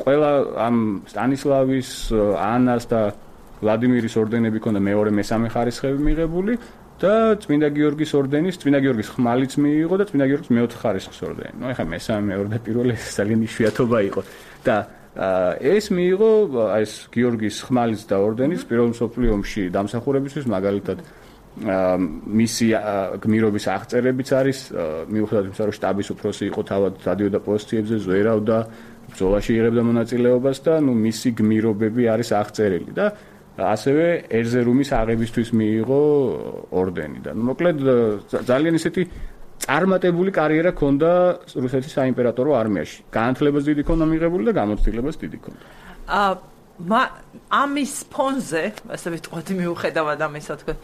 ყველა ამ სტანისლავის, ანას და ვლადიმირის ორდენები ქონდა მეორე მესამე ხარისხები მიღებული და წმინდა გიორგის ორდენის, წმინდა გიორგის ხმალიც მიიღო და წმინდა გიორგის მეოთხე ხარისხის ორდენი. ეხლა მესამე, მეორე და პირველი ძალიან იშვიათობა იყო და ეს მიიღო ეს გიორგის ხმალიც და ორდენის პირველ მსოფლიო ომში დამსახურებისთვის, მაგალითად მისი გმირობის აღწერებიც არის, მიუხედავად იმისა, რომ შტაბის უფროსი იყო, თავად დადიოდა პოზიციებზე, ზვერავდა, ბრძოლაში იღებდა მონაწილეობას და მისი გმირობები არის აღწერილი და ასევე ერზერუმის აღებისთვის მიიღო ორდენი და მოკლედ ძალიან ისეთი წარმატებული კარიერა ჰქონდა რუსეთის საიმპერატორო არმიაში. განათლებაც დიდი ჰქონდა მიღებული და გამოცდილებაც დიდი ჰქონდა. ამის ფონზე, ასე ვიტყვათ, მიუხედავად ამისა, თქვენ,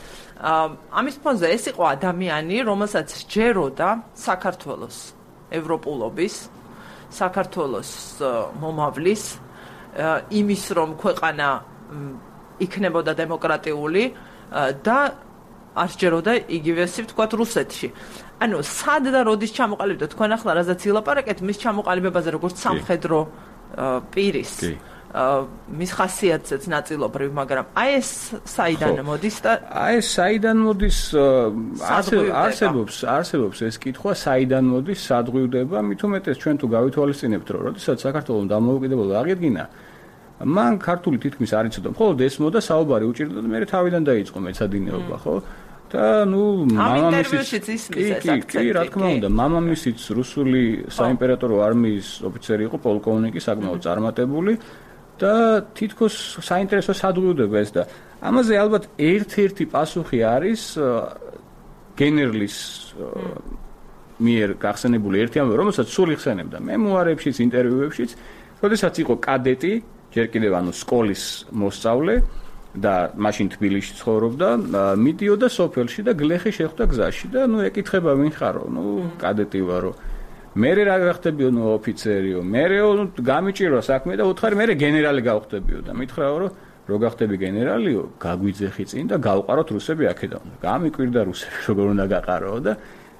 ამის ფონზე ეს იყო ადამიანი, რომელსაც სჯეროდა საქართველოს ევროპულობის, საქართველოს მომავლის, იმის რომ ქვეყანა იქნებოდა დემოკრატიული და არ სჯეროდა იგივე ასე ვთქვათ რუსეთში. ანუ სად და როდის ჩამოყალიბდა თქვენ ახლა რაზეც ილაპარაკეთ მის ჩამოყალიბებაზე როგორც სამხედრო პირის მის ხასიათზეც ნაწილობრივ, მაგრამ აი ეს საიდან მოდის და ეს საიდან მოდის არსებობს ეს კითხვა, საიდან მოდის, სად ღვივდება, მით უმეტეს ჩვენ თუ გავითვალისწინებთ, რომ როდესაც საქართველოს დამოუკიდებლობა აღიდგინა, მან ქართული თითქმის არ იცოდა. მხოლოდ ესმოდა საუბარი უჭირდა და მე თავიდან დაიწყო მეცადინეობა, ხო? და მამამისიც კი, რა თქმა უნდა, მამამისიც რუსული საიმპერატორო არმიის ოფიცერი იყო, პოლკოვნიკი, საკმაოდ წარმატებული და თითქოს საინტერესო სადღუდება ეს და ამაზე ალბათ ერთ-ერთი პასუხი არის გენერლის მიერ გახსენებული ერთი ამბავი, რომელსაც სულ იხსენებდა მემუარებშიც, ინტერვიუებშიც, როდესაც იყო კადეტი, ჯერ კიდევ სკოლის მოსწავლე და მაშინ თბილისში ცხოვრობდა, მიდიოდა სოფელში და გლეხი შეხვდა გზაში და ეკითხება ვინ ხარო, კადეტი ვარო. მე რა გახდებიო ოფიცერიო, მე გამიჭირვა საქმე და უთხარი მე გენერალი გავხდებიო და მითხრაო რომ რო გახდები გენერალიო, გაგვიძეხი წინ და გავყაროთ რუსები აქედან. გამიკვირდა რუსები როგორ უნდა გაყაროო და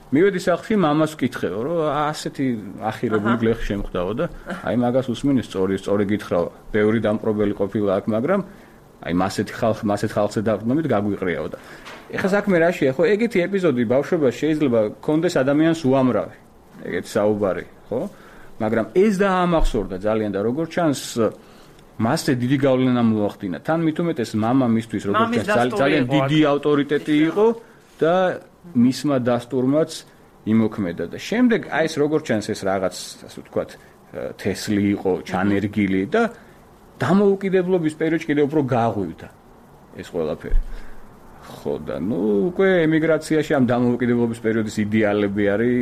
მივედი სახლში მამას ვკითხეო რომ ასეთი ახირებული გლეხი შემხვდაო და აი მაგას უსმინე სწორი გითხრაო. ბევრი დამპრობელი ყოფილა აქ, მაგრამ აი მასეთ ხალხზე დაყრდნობით გაგვიყრიაო და ეხლა საქმე რაშია, ხო, ეგეთი ეპიზოდი ბავშვობაში შეიძლება კონდეს ადამიანს უამრავი. ეგეთი საუბარი, ხო? მაგრამ ეს დაამახსოვრდა ძალიან და როგორც ჩანს მასზე დიდი გავლენა მოახდინა. თან მით უმეტეს მამა მისთვის როგორც ჩანს ძალიან დიდი ავტორიტეტი იყო და მისმა დასტურმაც იმოქმედა და შემდეგ აი ეს როგორც ჩანს ეს რაღაც ასე ვთქვათ თესლი იყო, ჩანერგილი და დამოუკიდებლობის პერიოდში კიდევ უფრო გაღვივდა ეს ყველაფერი. ხო და უკვე ემიგრაციაში ამ დამოუკიდებლობის პერიოდის იდეალები არის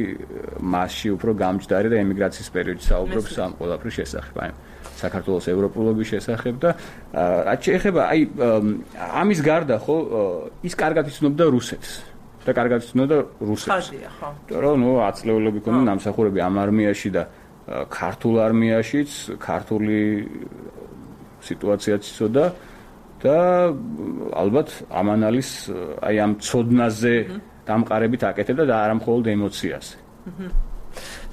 მასში უფრო გამჯდარი და ემიგრაციის პერიოდში საუბრობს ამ ყველაფრის შესახებ, აი საქართველოს ევროპულობის შესახებ და რაც შეეხება აი ამის გარდა ხო ის კარგად იცნობდა რუსეთს და კარგად იცნობდა რუსეთს. ხო. რომ აწლეულები ქონდა ნამსახურები ამ არმიაში და ქართულ არმიაშიც, ქართული სიტუაციაც იცოდა და ალბათ ამანალის აი ამ ცოდნაზე დამყარებით აკეთებდა და არა მხოლოდ ემოციაზე.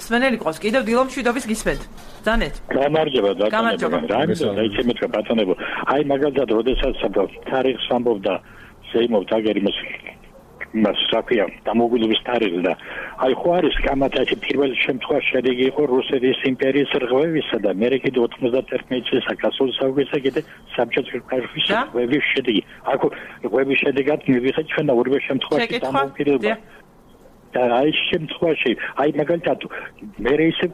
სვენელი ყავს, კიდევ დილომშვიდობის გისმენთ. ძანეთ. გამარჯობა. დაიწყე მეთქვა ბატონებო. აი მაგალითად, როდესაც თარიღს ამბობდა ზეიმოვ დაგერიმოს მასაკია დამოუკიდებლობის თარიღი და აი ხო არის კამათაში პირველი შემთხვევა შედეგი იყო რუსეთის იმპერიის რღვევისა და მე კიდე 91 წელს გასულ საუკეთესო კიდე საბჭოთა კავშირის რღვევის შედეგი. აქ რღვევის შედეგად მივიღეთ ჩვენ და ორივე შემთხვევაში დამოუკიდებლობა. და აი შემთხვევაში აი მაგალითად მე ისე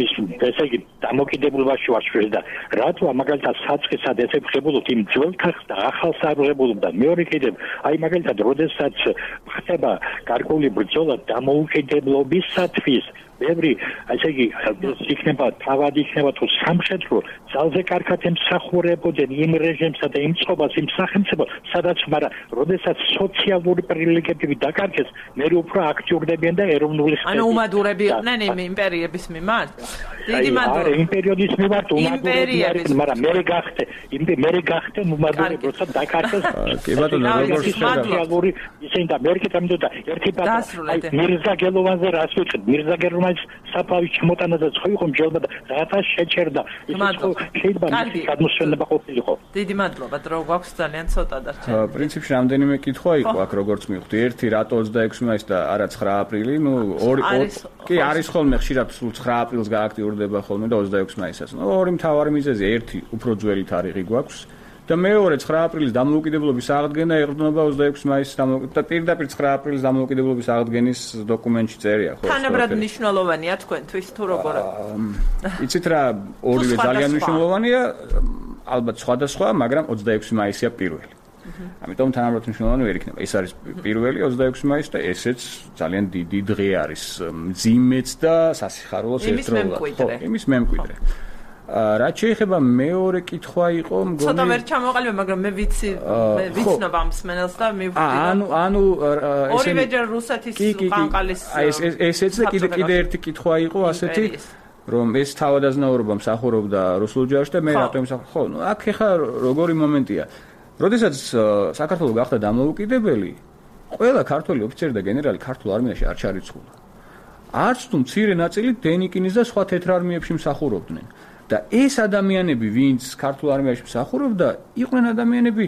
ის ესე იგი დამოუკიდებლობაში ვარშვეს და რატო მაგალითად საწყისად ესე ვღებულობთ იმ ძველ თახს და ახალს არ ვღებულობ და მეორე კიდევ აი მაგალითად როდესაც ხდება გარკვეული ბრძოლა დამოუკიდებლობისათვის ბევრი ასე იგი იქნება თავად იქნება თუ სამხედრო ძალზე კარგად ემსახურებოდნენ იმ რეჟიმსა და იმ წყობას იმ სახელმწიფოს სადაც მაგრამ როდესაც სოციალური პრივილეგიები დაკარგეს მე უფრო აქტიურდებიან და ეროვნული ანუ უმადურები იყვნენ იმ იმპერიების მიმართ დიდი მადლობა იმ პერიოდის მიმართ უმადურები არიან მაგრამ მე გახდე უმადურები როცა დაკარგეს კი ბატონო როგორც სოციალური ისინი და მე კიდე ერთი ბატონო მირზა გელოვანზე რას ვიტყვი მირზა გელოვანი საფავი ჩმოტანაზე ხო იყო მჯერა და რათა შეჩერდა ის შეიძლება მისი გადმოსვენება ყოფილიყო დიდი მადლობა დრო გვაქვს ძალიან ცოტა დარჩენილი პრინციპში რამდენიმე კითხვა იყო აქ როგორც მივხვდი ერთი რატო 26 მაისს და არა 9 აპრილი ორი კი არის ხოლმე ხშირად სულ 9 აპრილს გააქტიურდება ხოლმე და 26 მაისსაც ორი მთავარი მიზეზი ერთი უფრო ძველი თარიღი გვაქვს და მეორე 9 აპრილის დამოუკიდებლობის აღდგენა ეყრდნობა 26 მაისს და პირდაპირ 9 აპრილის დამოუკიდებლობის აღდგენის დოკუმენტში წერია ხო თანაბრად მნიშვნელოვანია თქვენთვის თუ როგორ იცით რა ორივე ძალიან მნიშვნელოვანია ალბათ სხვადასხვა მაგრამ 26 მაისია პირველი ამიტომ თანაბრად მნიშვნელოვანი ვერ იქნება ეს არის პირველი 26 მაისი და ესეც ძალიან დიდი დღე არის მძიმეც და სასიხარულოს ერთდროულად ხო იმის მემკვიდრე რაც შეეხება მეორე კითხვა იყო მგონი ცოტა ვერ ჩამოყალიბე მაგრამ მე ვიცნობ ამ სმენელს და მივხვდი ანუ ორივეჯერ რუსეთის ყანყალის ესეც კიდე ერთი კითხვა იყო ასეთი რომ ეს თავადაზნაურობა მსახურობდა რუსულ ჯარში და მე რატომ ხო აქ ეხა როგორი მომენტია როდესაც საქართველო გახდა დამოუკიდებელი ყველა ქართველი ოფიცერი და გენერალი ქართულ არმიაში არ ჩარიცხულა არც თუ მცირე ნაწილი დენიკინის და სხვა თეთრ არმიებში მსახურობდნენ და ეს ადამიანები ვინც ქართულ არმიაში მსახურობდა იყვნენ ადამიანები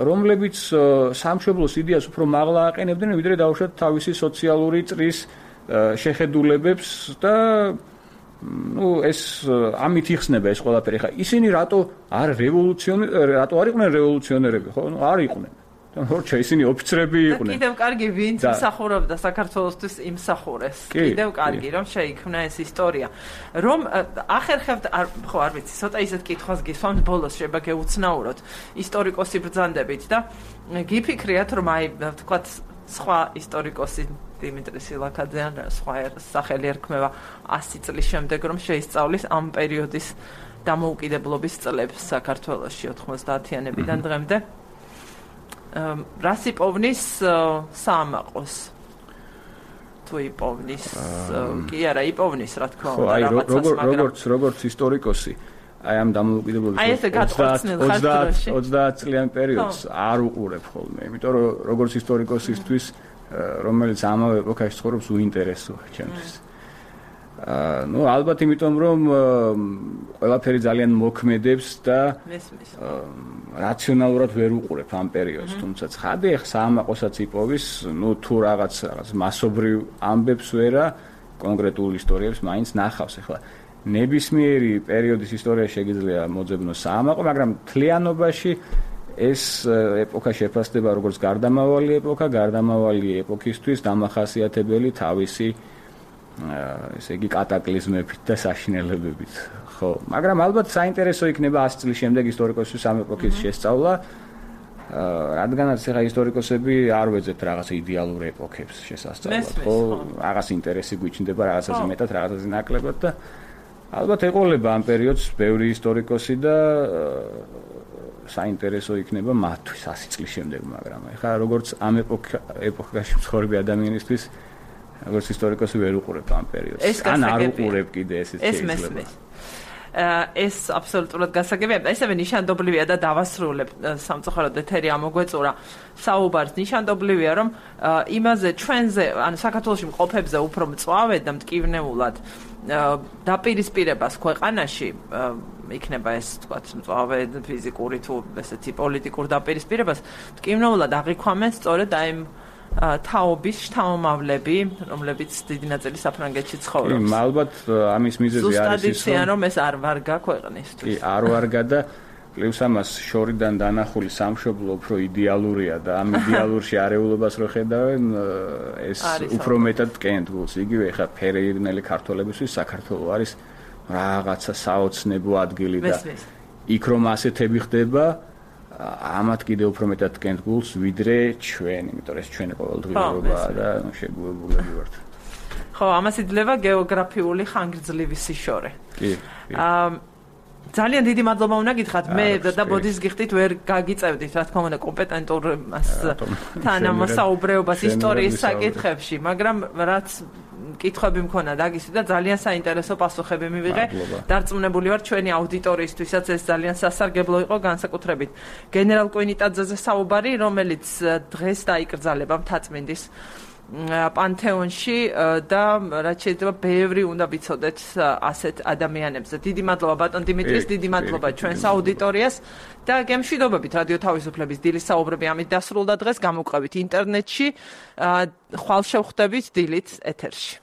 რომლებიც სამშობლოს იდეას უფრო მაღლა აყენებდნენ ვიდრე დაუშვათ თავისი სოციალური წრის შეხედულებებს და ეს ამით იხსნება ეს ყველაფერი. ხა ისინი რატო არ იყვნენ რევოლუციონერები, ხო? არ იყვნენ. როცა ისინი ოფიცრები იყვნენ. კიდევ კარგი ვინც მსახურობდა საქართველოსთვის იმსახურეს. კიდევ კარგი რომ შეიქმნა ეს ისტორია. რომ ახერხებთ ხო არ ვიცი, ცოტა ისეთ კითხვას გისვამთ ბოლოს შეიძლება გეუცნაუროთ ისტორიკოსი ბრძანდებით და გიფიქრიათ რომ აი თქვათ სხვა ისტორიკოსი დიმიტრი სილაქაძე ან სხვა სახელი ერქმევა 100 წლის შემდეგ რომ შეისწავლის ამ პერიოდის დამოუკიდებლობის წლებს საქართველოში 90-იანებიდან დღემდე. რას იპოვნის საამაყოს? თუ იპოვნის, კი არა, იპოვნის, რა თქმა უნდა, რაღაცას, მაგრამ როგორც ისტორიკოსი, აი ამ დამოუკიდებლობის 30 წლიან პერიოდს არ უყურებ ხოლმე, იმიტომ რომ როგორც ისტორიკოსისთვის, რომელიც ამავე ეპოქაში ცხოვრობს, უინტერესოა ჩემთვის. ალბათ იმიტომ რომ ყველაფერი ძალიან მოქმედებს და რაციონალურად ვერ უყურებ ამ პერიოდს, თუმცა ცხადია საამაყოსაც იპოვის, თუ რაღაც მასობრივ ამბებს ვერა, კონკრეტულ ისტორიებს მაინც ნახავს. ახლა ნებისმიერი პერიოდის ისტორია შეგიძლია მოძებნოს საამაყო, მაგრამ თლიანობაში ეს ეპოქა შეფასდება როგორც გარდამავალი ეპოქა, გარდამავალი ეპოქისთვის დამახასიათებელი თავისი ესე იგი კატაკლიზმებით და საშინელებებით, ხო, მაგრამ ალბათ საინტერესო იქნება 100 წლის შემდეგ ისტორიკოსის ამ ეპოქის შესწავლა, რადგანაც ახლა ისტორიკოსები არ ვეძებთ რაღაც იდეალურ ეპოქებს შესასწავლად, ხო, რაღაც ინტერესი გვიჩნდება რაღაცაზე მეტად, რაღაცაზე ნაკლებად და ალბათ ეყოლება ამ პერიოდს ბევრი ისტორიკოსი და საინტერესო იქნება მათთვის 100 წლის შემდეგ, მაგრამ ახლა როგორც ამ ეპოქაში მცხოვრები ადამიანისთვის როგორც ისტორიკოსი ვერ უყურებ ამ პერიოდს. ან არ უყურებ კიდე ესეც შეიძლება. ეს აბსოლუტურად გასაგებია. ესევე ნიშანდობლივია და დავასრულებ სამწუხაროდ ეთერი ამოგვეწურა საუბარს. ნიშანდობლივია რომ იმაზე ჩვენზე, ანუ საქართველოში მყოფებზე უფრო მწვავედ და მტკივნეულად დაპირისპირებას ქვეყანაში იქნება ეს თქვათ მწვავედ ფიზიკური თუ ესეთი პოლიტიკურ დაპირისპირებას მტკივნეულად აღიქვამენ სწორედ აი თაობის შთამომავლები, რომლებიც დიდი ნაწილი საფრანგეთში ცხოვრობს. ალბათ ამის მიზეზი არის ის, რომ ეს არ ვარგა ქვეყნისთვის. კი, არ ვარგა და პლუს ამას შორიდან დანახული სამშობლო უფრო იდეალურია და ამ იდეალურში არეულობას რო ხედავენ, ეს უფრო მეტად კენდგულს. იგივე ხა ფერეირნელი ქართველებისთვის საქართველო არის რაღაცა საოცნებო ადგილი და იქ რომ ასეთები ხდება ამათ კიდევ უფრო მეტად კენდგულს ვიდრე ჩვენ, იმიტომ რომ ეს ჩვენი ყოველდღიურობაა და შეგუებულები ვართ. ხო, ამას იძლევა გეოგრაფიული ხანგრძლივი სიშორე. კი. ძალიან დიდი მადლობა უნდა გითხრათ. მე და ბოდის გიხდით ვერ გაგიწევდით, რა თქმა უნდა, კომპეტენტურ თანამოსაუბრეობას ისტორიის საკითხებში, მაგრამ რაც კითხვები მქონდა დაგისვი და ძალიან საინტერესო პასუხები მივიღე. დარწმუნებული ვარ ჩვენი აუდიტორიისთვისაც ეს ძალიან სასარგებლო იყო, განსაკუთრებით გენერალ კვინიტაძეზე საუბარი, რომელიც დღეს დაიკრძალება მთაწმინდის პანთეონში და რაც შეიძლება ბევრი უნდა ვიცოდეთ ასეთ ადამიანებზე. დიდი მადლობა ბატონ დიმიტრის, დიდი მადლობა ჩვენს აუდიტორიას და გემშვიდობებით რადიო თავისუფლების დილის საუბრები ამით დასრულდა დღეს, გამოვყევით ინტერნეტში, ხვალ შევხვდებით დილით ეთერში.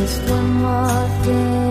just one more thing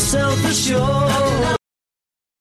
self-assured.